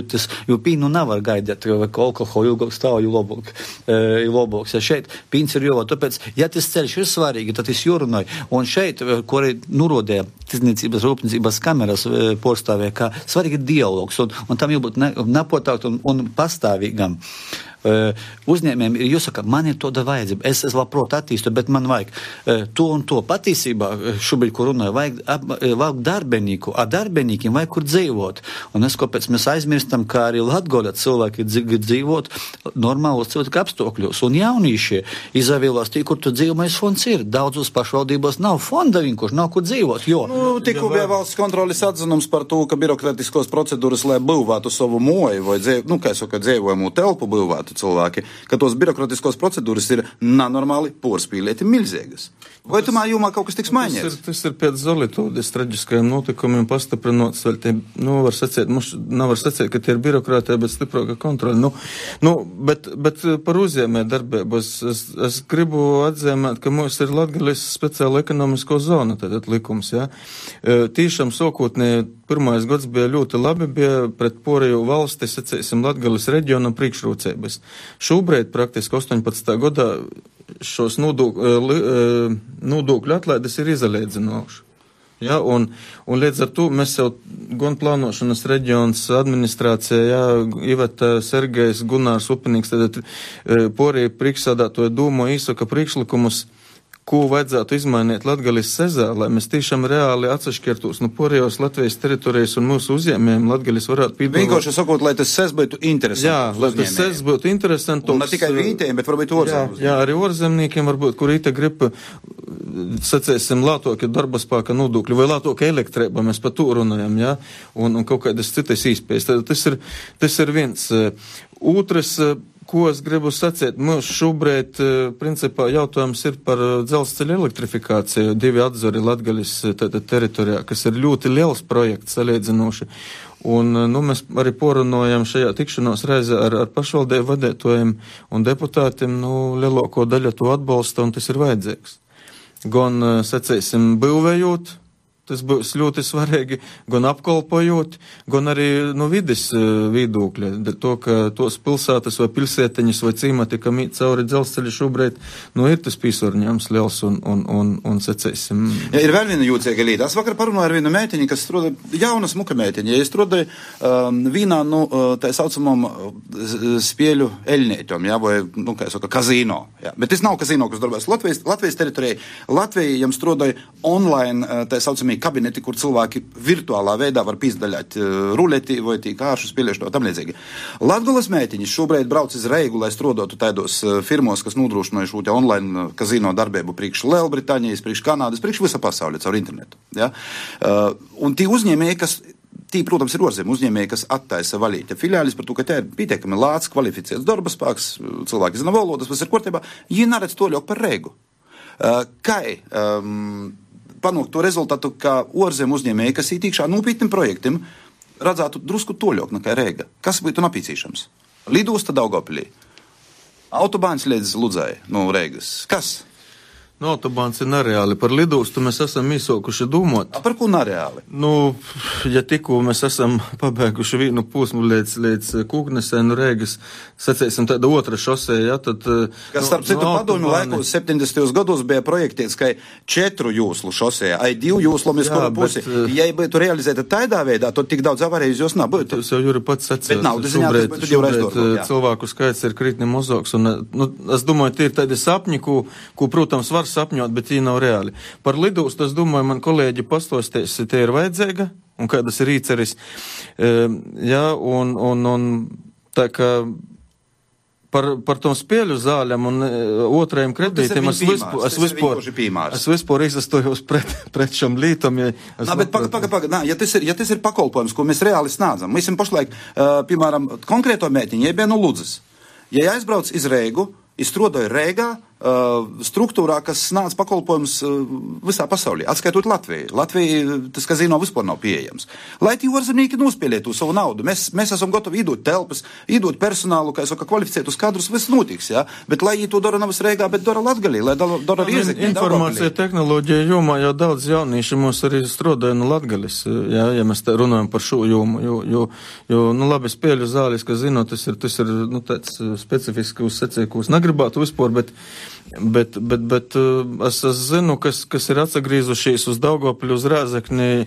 jo pīnu nevar gaidīt, vai alkoholu ilgāk stāv, jo labāks. Ja šeit pīns ir jāvā, tāpēc, ja tas ceļš ir svarīgi, tad tas jārunāj. Un šeit, ko arī nurodēja tirdzniecības, rūpniecības kameras porstavē, kā svarīgi ir dialogs, un tam jābūt nepotākt un pastāvīgam. Uzņēmējiem ir jāsaka, man ir tāda vajadzība, es labprāt attīstu, bet man vajag to un to. Patiesībā šobrīd, ko runāju, vajag darbenīku, a darbenīkiem vajag kur dzīvot. Un es, kāpēc mēs aizmirstam, kā arī Latgoļa cilvēki dzīvot normālos cilvēku apstākļos. Un jaunīšie izvēlās tie, kur tu dzīvojamais fonds ir. Daudzos pašvaldībos nav fonda vienkārši, nav kur dzīvot, jo. Tikko bija valsts kontroles atzinums par to, ka birokratiskos procedūras, lai būvētu savu moju vai dzīvojamu telpu būvētu cilvēki, ka tos birokratiskos procedūras ir nenormāli porspīlieti milzīgas. Vai tomēr jomā kaut kas tiks mainīts? Tas ir pēc Zolitūdes traģiskajiem notikumiem pastiprinots, vēl tie, var sacīt, ka tie ir birokrātija, bet stiprāka kontrola. Bet par uzņēmē darbību es gribu atzīmēt, ka mums ir Latgales speciāla ekonomisko zona, tātad likums, jā. Tīšām sākotnēji pirmais gads bija ļoti labi, bija pret porējo valsti, sacīsim, Latgales reģionam priekšrocības. Šobrīd praktiski 18. gadā šos nodokļu atlaides ir izalēdzinoši. Ja, un līdz ar to mēs jau gan plānošanas reģions administrācijā, ja, Iveta Sergejs, Gunārs Upinīgs, tad porēja priekšsādātoja dūmo īsaka priekšlikumus, ko vajadzētu izmainīt Latgales sezā, lai mēs tiešām reāli atsašķirtos no porējos Latvijas teritorijas un mūsu uzņēmējiem Latgales varētu piedāvāt. Vienkārši sakot, lai tas sez būtu interesants. Jā, lai tas sez būtu interesants. Un ne tikai vītējiem, bet varbūt orzemniekiem. Jā, arī orzemniekiem varbūt, kur īta grib, sacēsim, lātoki darba spēka nodokļu vai lātoki elektrība, mēs par to runājam, jā, un kaut kādas citas īspējas. Tas ir viens. Otrs, ko es gribu sacīt, mums šobrīd, principā, jautājums ir par dzelzceļa elektrifikāciju, 2 atzori Latgales teritorijā, kas ir ļoti liels projekts salīdzinoši. Un, mēs arī porunojam šajā tikšanos reizē ar pašvaldību vadītājiem un deputātiem, lielāko daļu to atbalsta, un tas ir vajadzīgs. Gan, sacīsim, būvējot, tas būs ļoti svarīgi, gan apkalpojot, gan arī no vides viedokļa. To, ka tos pilsētas vai pilsētiņas vai cīmati, kam īt cauri dzelzceļa šobrīd, ir tas pīsvarņēms liels un sacēsim. Ja, ir vēl viena jūcīga lieta. Es vakar parunāju ar vienu meitiņu, kas strādāja, jauna smuka meitiņa. Ja es strādāju vienā, tā saucamam spēļu eļņētom, ja, vai, kā saka, kazino. Ja. Bet tas nav kazino, kas darbās Latvijas teritorijai. Latvija jam strādāja online, tā saucamī kabineti, kur cilvēki virtuālā veidā var pīzdaļāt ruleti vai tī kāršu spēlēšanu, tam līdzīgi. Latgales meitiņas šobrīd brauc iz Reigu, lai strodotu tādos firmos, kas nodrošināja šo te online kazino darbību priekš Lielbritānijas, priekš Kanādas, priekš visa pasaulē caur internetu. Ja? Un tie uzņēmēji, protams, ir orzem uzņēmēji, kas attaisa valīte filiālis par to, ka te ir pietiekami lāts, kvalificēts darba spēks, cilvēki zina valodas, kas ir kārtībā, viņi neredz to ļauk par Reigu. Panākt to rezultātu, ka orzem uzņēmēji, kas ītīkšā nopietnim projektam, redzētu drusku toļok nekā Reiga. Kas būtu napīcīšams? Lidosta Daugavpilī. Autobāns līdz Ludzai no Reigas. Kas? Autobāns ir nereāli. Par lidostu mēs esam īsākuši domāt. Par ko nereāli? Ja tikko mēs esam pabeiguši vienu posmu līdz Kūknesē, Reigas, sacēsim tāda otra šosē, ja, tad... Kas starp citu padomju laikos 70. gados bija projektēts, ka 4 jūslu šosē, ai 2 jūslom iz kuru pusi. Ja būtu realizēta tādā veidā, tad tik daudz avarējas jūs nebūtu. Tas jau Juri pats sacēs. Bet naudas ziņā tas būtu jau reizes. Cilvēku skaits ir kritni mazāks, un es domāju, tie ir tādi sapņi, ko, protams, var sapņot, bet viņi nav reāli. Par lidostu, es domāju, man kolēģi pastostēs, tie ir vajadzīga, un kādas ir īceris. Ja, un Tā kā par tom spēļu zāļam un otrajiem kredītiem es vispār izastojos pret šom lītom. Bet paga, ja tas ir pakalpojums, ko mēs reāli snādzam, mēs esam pašlaik, piemēram, konkrēto mētiņu, ja no Ludzas. Ja aizbrauc iz Reigu, izstrodoju Reigā, struktūrā, kas snāc pakalpojums visā pasaulī, atskaitot Latviju. Latvija, tas kazino vispār nav pieejams. Lai tie orzemnieki nospēlētu savu naudu, mēs esam gatavi iedot telpas, iedot personālu, kā kvalificētus kadrus, viss notiks, jā? Bet lai to dara nevis Reigā, bet dara Latgalī, lai dara Riezekņi. Informācija tehnoloģija jomā jau daudz jaunieši mums arī strodoja no Latgalis, jā, ja mēs te runājam par šo jomu, jo nu labi, spēļu zālis, ka zinu, tas ir nu, tāds specifisks secēkos negribētu vispār, bet es zinu, kas ir atsagrīzušies uz Daugavpili, uz Rēzekni,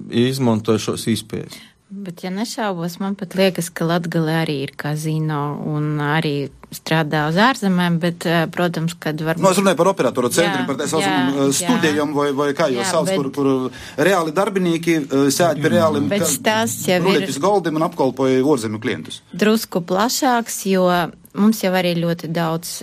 izmantoja šos īspējas. Bet, ja nešaubos, man pat liekas, ka Latgalē arī ir kazino un arī strādā uz ārzemēm, bet, protams, kad varbūt... No, es runāju par operatoru centri, par tā saucamām studijām, vai kā jau sauc, kur reāli darbinīki sēd pie reāliem ruletis goldim un apkalpoja ārzemju klientus. Drusku plašāks, jo mums jau arī ļoti daudz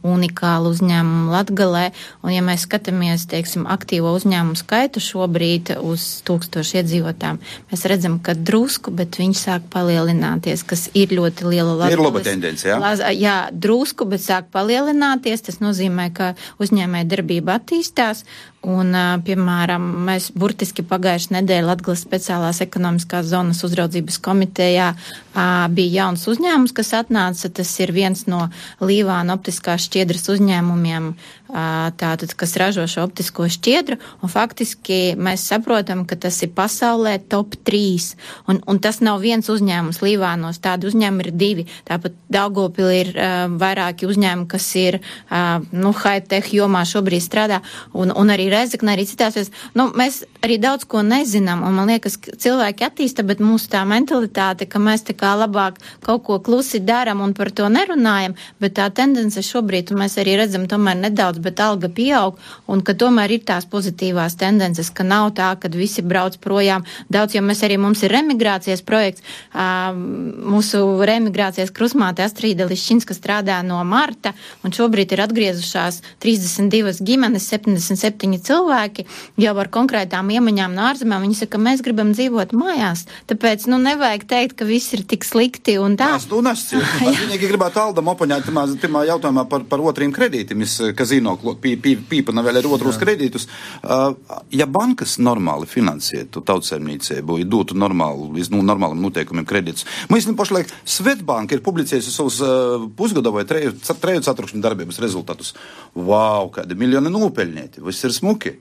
unikālu uzņēmumu Latgalē, un ja mēs skatāmies, teiksim, aktīvo uzņēmumu skaitu šobrīd uz 1000 iedzīvotājiem, mēs redzam, ka drusku, bet viņš sāk palielināties, kas ir ļoti liela Latgales. Ir laba tendence, jā? Jā, drusku, bet sāk palielināties, tas nozīmē, ka uzņēmēja darbība attīstās, un, piemēram, mēs burtiski pagājušajā nedēļā Latgales speciālās ekonomiskās zonas uzraudzības komitejā bija jauns uzņēmums, kas atnāca, tas ir viens no Līvāna optiskās šķiedras uzņēmumiem, tātad, kas ražo šo optisko šķiedru, un faktiski mēs saprotam, ka tas ir pasaulē top 3, un tas nav viens uzņēmums Līvānos, tādi uzņēmumi ir 2, tāpat Daugavpilī ir vairāki uzņēmumi, kas ir, high-tech jomā šobrīd strādā, un arī Rēzeknē, arī citās vietās. Mēs arī daudz ko nezinām, un man liekas, ka cilvēki attīsta, bet mūsu tā mentalitāte, ka mēs tā kā labāk kaut ko klusi daram un par to nerunājam, bet tā tendence šobrīd, un mēs arī redzam tomēr nedaudz, bet alga pieaug, un ka tomēr ir tās pozitīvās tendences, ka nav tā, kad visi brauc projām daudz, jo mums ir remigrācijas projekts, mūsu remigrācijas krusmāte Astrīda Liščinska strādā no marta, un šobrīd ir atgriezušās 32 ģimenes, 77 cilvēki, jau ar konkrētām iemaņām no ārzemēm, viņi saka, ka mēs gribam dzīvot mājās, tāpēc, nevajag teikt, ka viss ir tik slikti un tā. Viņi gribētu Aldam opoņāt pirmā jautājumā par otriem kredītiem, kazino pīpana vēl ir otrus kredītus. Ja bankas normāli finansētu tautsaimniecību, ja dotu normālam noteikumiem kredītus, mēs pašlaik Svetbanka ir publicējusi savus pusgada vai treju ceturkšņu darbības rezultatus. Vau, kādi miljoni nopelņēti, viss ir smuki.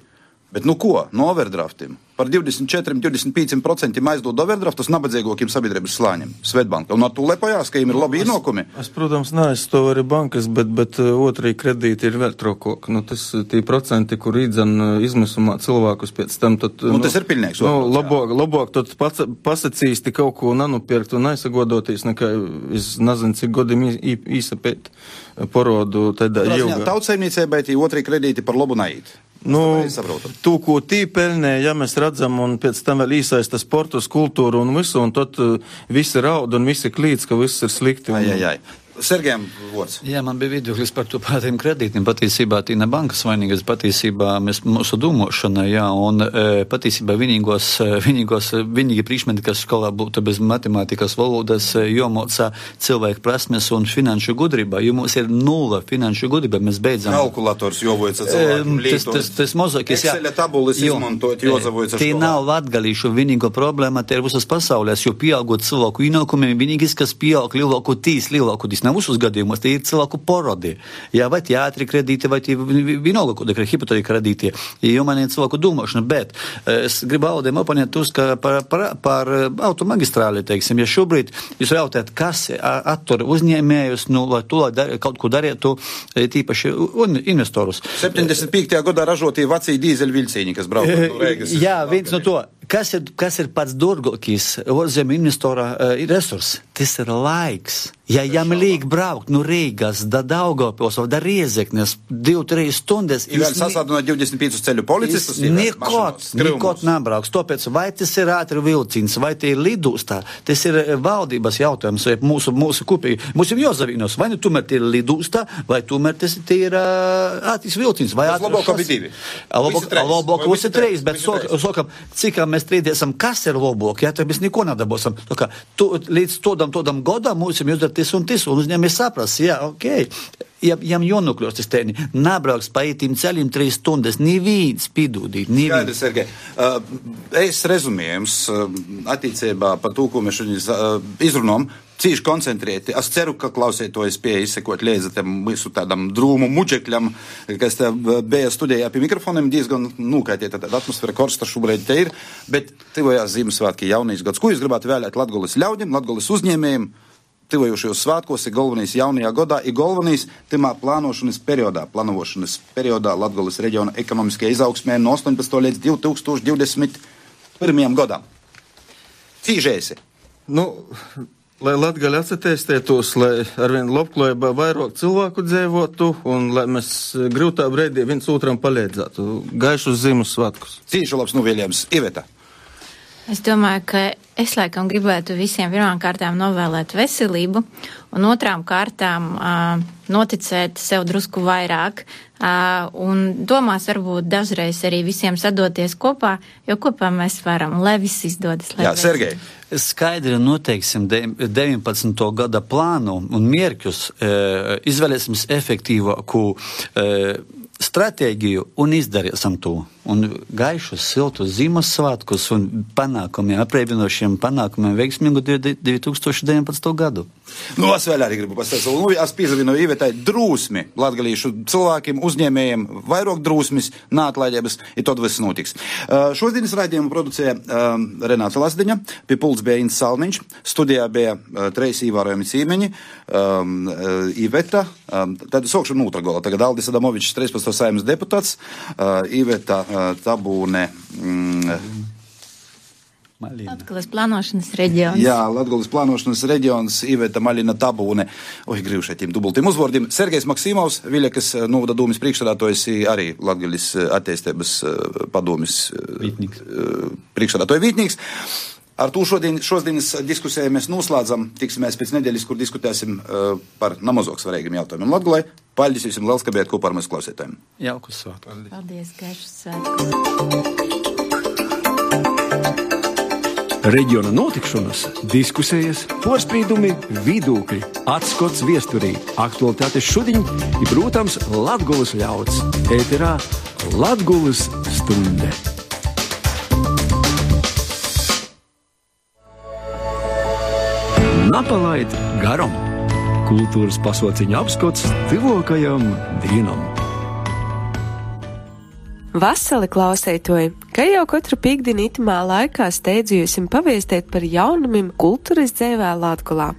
Bet ko? No overdraftiem. Par 24-25% aizdod overdraftus nabadzīgākiem sabiedrības slāņiem. Svetbanka. Un ar to lepojās, ka viņiem ir labi ienākumi. Es, protams, neaizstāvu arī bankas, bet otrī kredīti ir vēl trokok. Tas tie procenti, kur izmisumā cilvēkus pēc tam, tad... tas ir pilnīgs. Labāk tad pasacīsti kaut ko nanupirkt un aizsagodoties, nekā es nezinu, cik godim īsapēt porodu tādā ilgā. Tautsaimniecībai tie otrī kredīti par labu naiet. Tu, ko tī pelnē, ja mēs redzam, un pēc tam vēl īsaista sportus, kultūru un visu, un tad visi raud un visi klīdz, ka viss ir slikti. Sergejam vārds. Jā, man bija viedoklis par to pārtiem kredītiem. Patiesībā tī ne bankas vainīgas, patiesībā mēs mūsu domāšanai, jā, un patiesībā vienīgi priekšmeti, kas skolā būtu bez matemātikas valodas, jomocā cilvēku prasmes un finanšu gudrība, jo mums ir 0 finanšu gudrība, mēs beidzam. Kalkulators jovojca cilvēkiem līdot. Tas mozakis, jā. Excel tabulas izmantot, jozavojas školā. Tī nav latgalīšu vienīgo problēma, te ir visas pasaulēs, jo pieaugot cilvēku ienākumiem, vienīgis, kas pieaug lielāku visus gadījumos, tie ir cilvēku porodi. Jā, vai teātri kredīti, vai tie vienalga, kāda hipotekāra kredīti, jo man ir cilvēku domāšana, bet es gribu Aldiem oponēt uz, ka par automagistrāli, teiksim, ja šobrīd jūs jautājat, kas attur uzņēmējus, lai to kaut ko darītu, tīpaši investorus. 75. gadā ražotie vecī dīzeļviļcīņi, kas brauc no Reigas. Jā, viens no to. Kas ir pats dārgākais ārzemju investora resurs? Tas ir laiks. Ja jām liek braukt no Rīgas da Daugavpils vai da Riezeknes 2-3 stundas... Vēl sasādinot 25 ceļu policistus? Nekot nebrauks. Tāpēc vai tas ir ātri vilciens, vai tie ir lidostā, tas ir valdības jautājums, vai mūsu kopīgi. Mums ir jāzavīnos, vai nu tomēr tie ir lidostā, vai tomēr tas ir ātris vilciens. Tas labāk abi divi. Labāk visi treis, bet sokam, cik mēs strīdēsim, kas ir labāk, ja, tad mēs neko nedabūsim. Līdz todam godam mums ir jāizdara tis, un uzņēmēji saprast, jā, okei. Jām jānokļūst tas tēni, nebrauks pa itīm ceļiem 3 stundas, neviens pidūdīt, neviens. Skaidrs, Sergei. Es rezumējums attiecībā par to, ko mēs šodien izrunām, cīši koncentrēti. Es ceru, ka klausētojas pie izsekot līdzi tam visu tādam drūmu muģekļam, kas te bija studijā pie mikrofoniem, diezgan nūkaitiet, tad atmosfēra korsta šobrīd te ir, bet tivojās Ziemassvētki jaunīs gads. Ko jūs gribētu vēlēt Latgoles ļaudim, Latgoles uzņēmējiem? Tivojušajos svētkos ir galvenīs jaunajā godā, ir galvenīs timā plānošanas periodā Latgoles reģiona ekonomiskajā izaugsmē no 18. līdz 2021. godam. Cīžēsi? Lai Latgali atsatīstētos, lai arvien labklājībā vairāk cilvēku dzīvotu un lai mēs grūtā breidī viens otram palīdzētu. Gaišus Ziemassvētkus. Cīšu labs nuvēļējums. Iveta. Es domāju, ka es laikam gribētu visiem pirmām kārtām novēlēt veselību un otrām kārtām noticēt sev drusku vairāk un domās varbūt dažreiz arī visiem sadoties kopā, jo kopā mēs varam, lai viss izdodas. Jā, Sergei. Skaidri noteiksim 19. gada plānu un mierķus, izvēlēsim efektīvāku stratēģiju un izdarīsim to. Un gaišus, siltus Ziemassvētkus un panākumiem, apreibinošiem panākumiem veiksmīgu 2019. gadu. Es vēl arī gribu pastāstīt. Es piezavinu Ivetai drūsmi latgalīšu cilvēkiem, uzņēmējiem, vairāk drūsmis, nāatlaidības, ir tad viss notiks. Šodienas raidījumu producēja Renāta Lasdiņa, pie pults bija Ints Salmiņš, studijā bija treis īvārojami cīmeņi, Iveta, tad sokšu nūtragola, tagad Aldis Adamovičs, 13. Saeimas deputāts, Iveta Tabūne, Latgoles plānošanas reģions. Jā, Latgoles plānošanas reģions, Iveta Maļina Tabūne, gribšētiem dubultiem uzvārdiem. Sergejs Maksimovs, Viļakas novada dūmis priekšsēdētājs, arī Latgoles attīstības padomis priekšsēdētāja vītnīgs. Ar to šodienas diskusiju mēs noslēdzam. Tiksimies pēc nedēļas, kur diskutēsim par namazoks svarīgiem jautājumiem Latgolē. Paldies jums liels, ka bijāt kopā ar mūsu klausītājiem. Jaukus svētkus. Paldies, gaišus svētkus. Reģiona notikšanas, diskusijas, porstrīdumi, vidūkļi, atskots viesturī, aktualitātes šodien ir, protams, Latgoles ļauds. Ēterā Latgoles stunde. Napalaid garam. Kultūras pasauciņa apskots tuvākajam dienam. Vasali klausētoji, ka jau katru pīkdienu itimā laikā steidzījusim paviestēt par jaunumiem kultūras dzīvē Latgolā.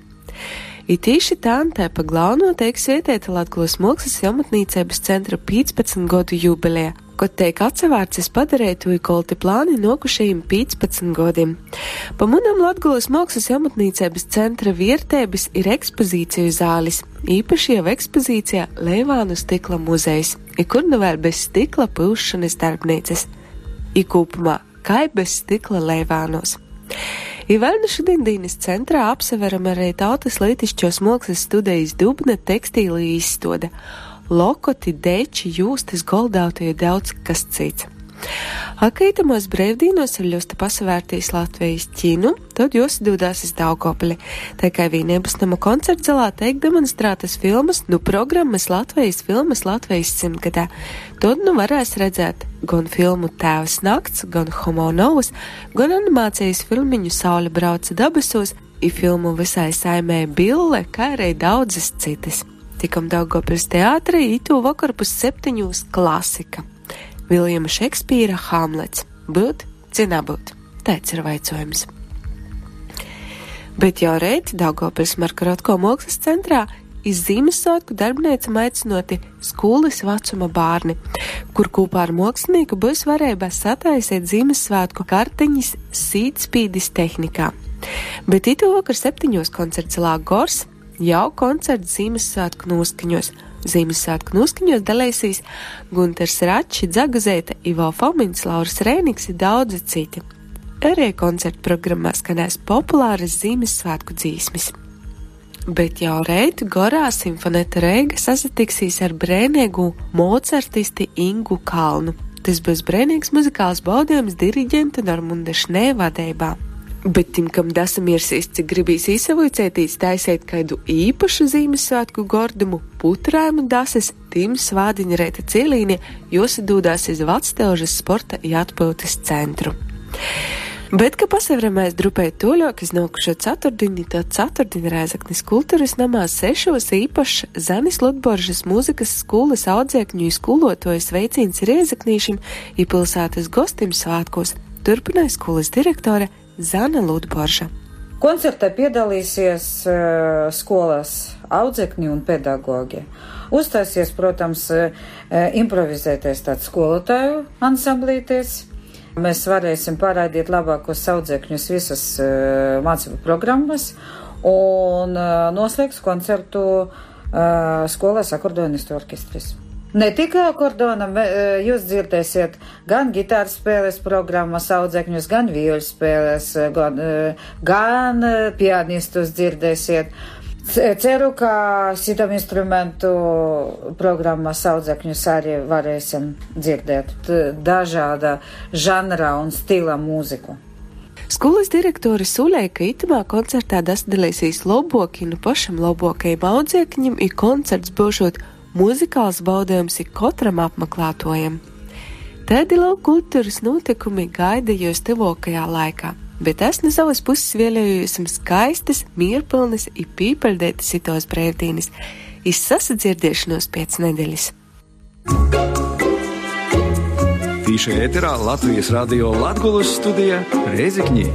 I tīši tāntē pa galveno teik svietēta Latgolas mākslas jaunatnīcības centra 15 gadu jubileja, kod teik atsevārcis padarētoju kolti plāni nokušajiem 15 godiem. Pa munam Latgolas mākslas jaunatnīcības centra viertēbis ir ekspozīciju zālis, īpaši jau ekspozīcijā Leivānu stikla muzejs, i kur nu vēl bez stikla pūšanas darbnīcas, i kūpumā kai bez stikla Leivānos. I vēl nu šodien dienas centrā apseveram arī tautas lītišķos mākslas studijas Dubna tekstīlī izstoda, lokoti, deči, jūstas, goldautie daudz kas cits. Akītamos brīvdīnos ir ļosta pasavērtīs Latvijas ķinu, tad jūs dūdās iz Daugavpili. Tā kā vienības nama koncertzalā teik demonstrētas filmas, programmas Latvijas filmas Latvijas 100-gadā. Tad varēs redzēt gan filmu Tēvs nakts, gan Homo novus, gan animācijas filmiņu Saule brauca dabesos, i filmu Visai saimē Bille, kā arī daudzas citas. Tikam Daugavpilis teātrī, itū vakar pus 7 klasika. Viljama Šekspīra Hamlets. Būt, cinā būt. Tāds ir vaicojums. Bet jau reit Daugavpils Markarotko mākslas centrā iz Ziemassvētku darbnīcam aicinoti skolas vecuma bārni, kur kopā ar mākslinieku būs varēja sataisīt Ziemassvētku kartiņas sītspīdis tehnikā. Bet itu vakar 7 koncertzalā Gors, jau koncerts Ziemassvētku noskaņos. Ziemassvētku noskaņos dalīsīs Gunters Račs, Dzagazēta, Ivo Fomins, Lauris Rēniks un daudzi citi. Arī koncertu programmā skanēs populāras Ziemassvētku dzīsmes. Bet jau reitu Gorā Simfoneta Reiga sasatiksīs ar brēnīgu mocartisti Ingu Kalnu. Tas būs brēnīgs muzikāls baudījums diriģenta Normunda Šnē vadībā. Bet tim, kam dasamirsīs, cik gribīs īsavoicētīs taisēt kādu īpašu Ziemassvētku gordumu, putrājumu dases, tim svādiņa reita cielīnie josadūdās iz Vactelžas sporta i atpūtas centru. Bet, ka pasavremēs drupēt toļok iz nākušo ceturtdiņu, tad ceturtdiņa Rēzaknis kultūras namā 6 īpašs Zanis Ludboržas mūzikas skolas audzēkņu i skolotojas veicīns Rēzaknīšim i pilsētas gostim svātkos, turpināja skolas direktore Zana Ludborža. Koncertā piedalīsies skolas audzēkņi un pedagogi. Uzstāsies, protams, improvizētais tāds skolotāju ansamblīties. Mēs varēsim parādīt labākos audzēkņus visas mācību programmas un noslēgs koncertu skolas akordeonistu orķestris. Ne tikai akordonam, jūs dzirdēsiet gan gitāras spēles programmas audzēkņus, gan vioļu spēles, gan pianistus dzirdēsiet. Ceru, ka citam instrumentu programmas audzēkņus arī varēsim dzirdēt dažāda žanra un stila mūziku. Skolas direktori sulēja, ka itamā koncertā dasdalīsīs loboki no pašam lobokajam audzēkņam i koncerts būšot muzikāls baudījums i katram apmeklētojam. Tādi kultūras notikumi gaida jūs tuvākajā laikā. Bet es no savas puses vēlēju jums skaistas, mierpilnas i pīpaļdētas itos brīvdienas. Izsasadzirdēšanos pēc nedēļas. Tīša ēterā Latvijas radio Latgulas studija Rēzekņī.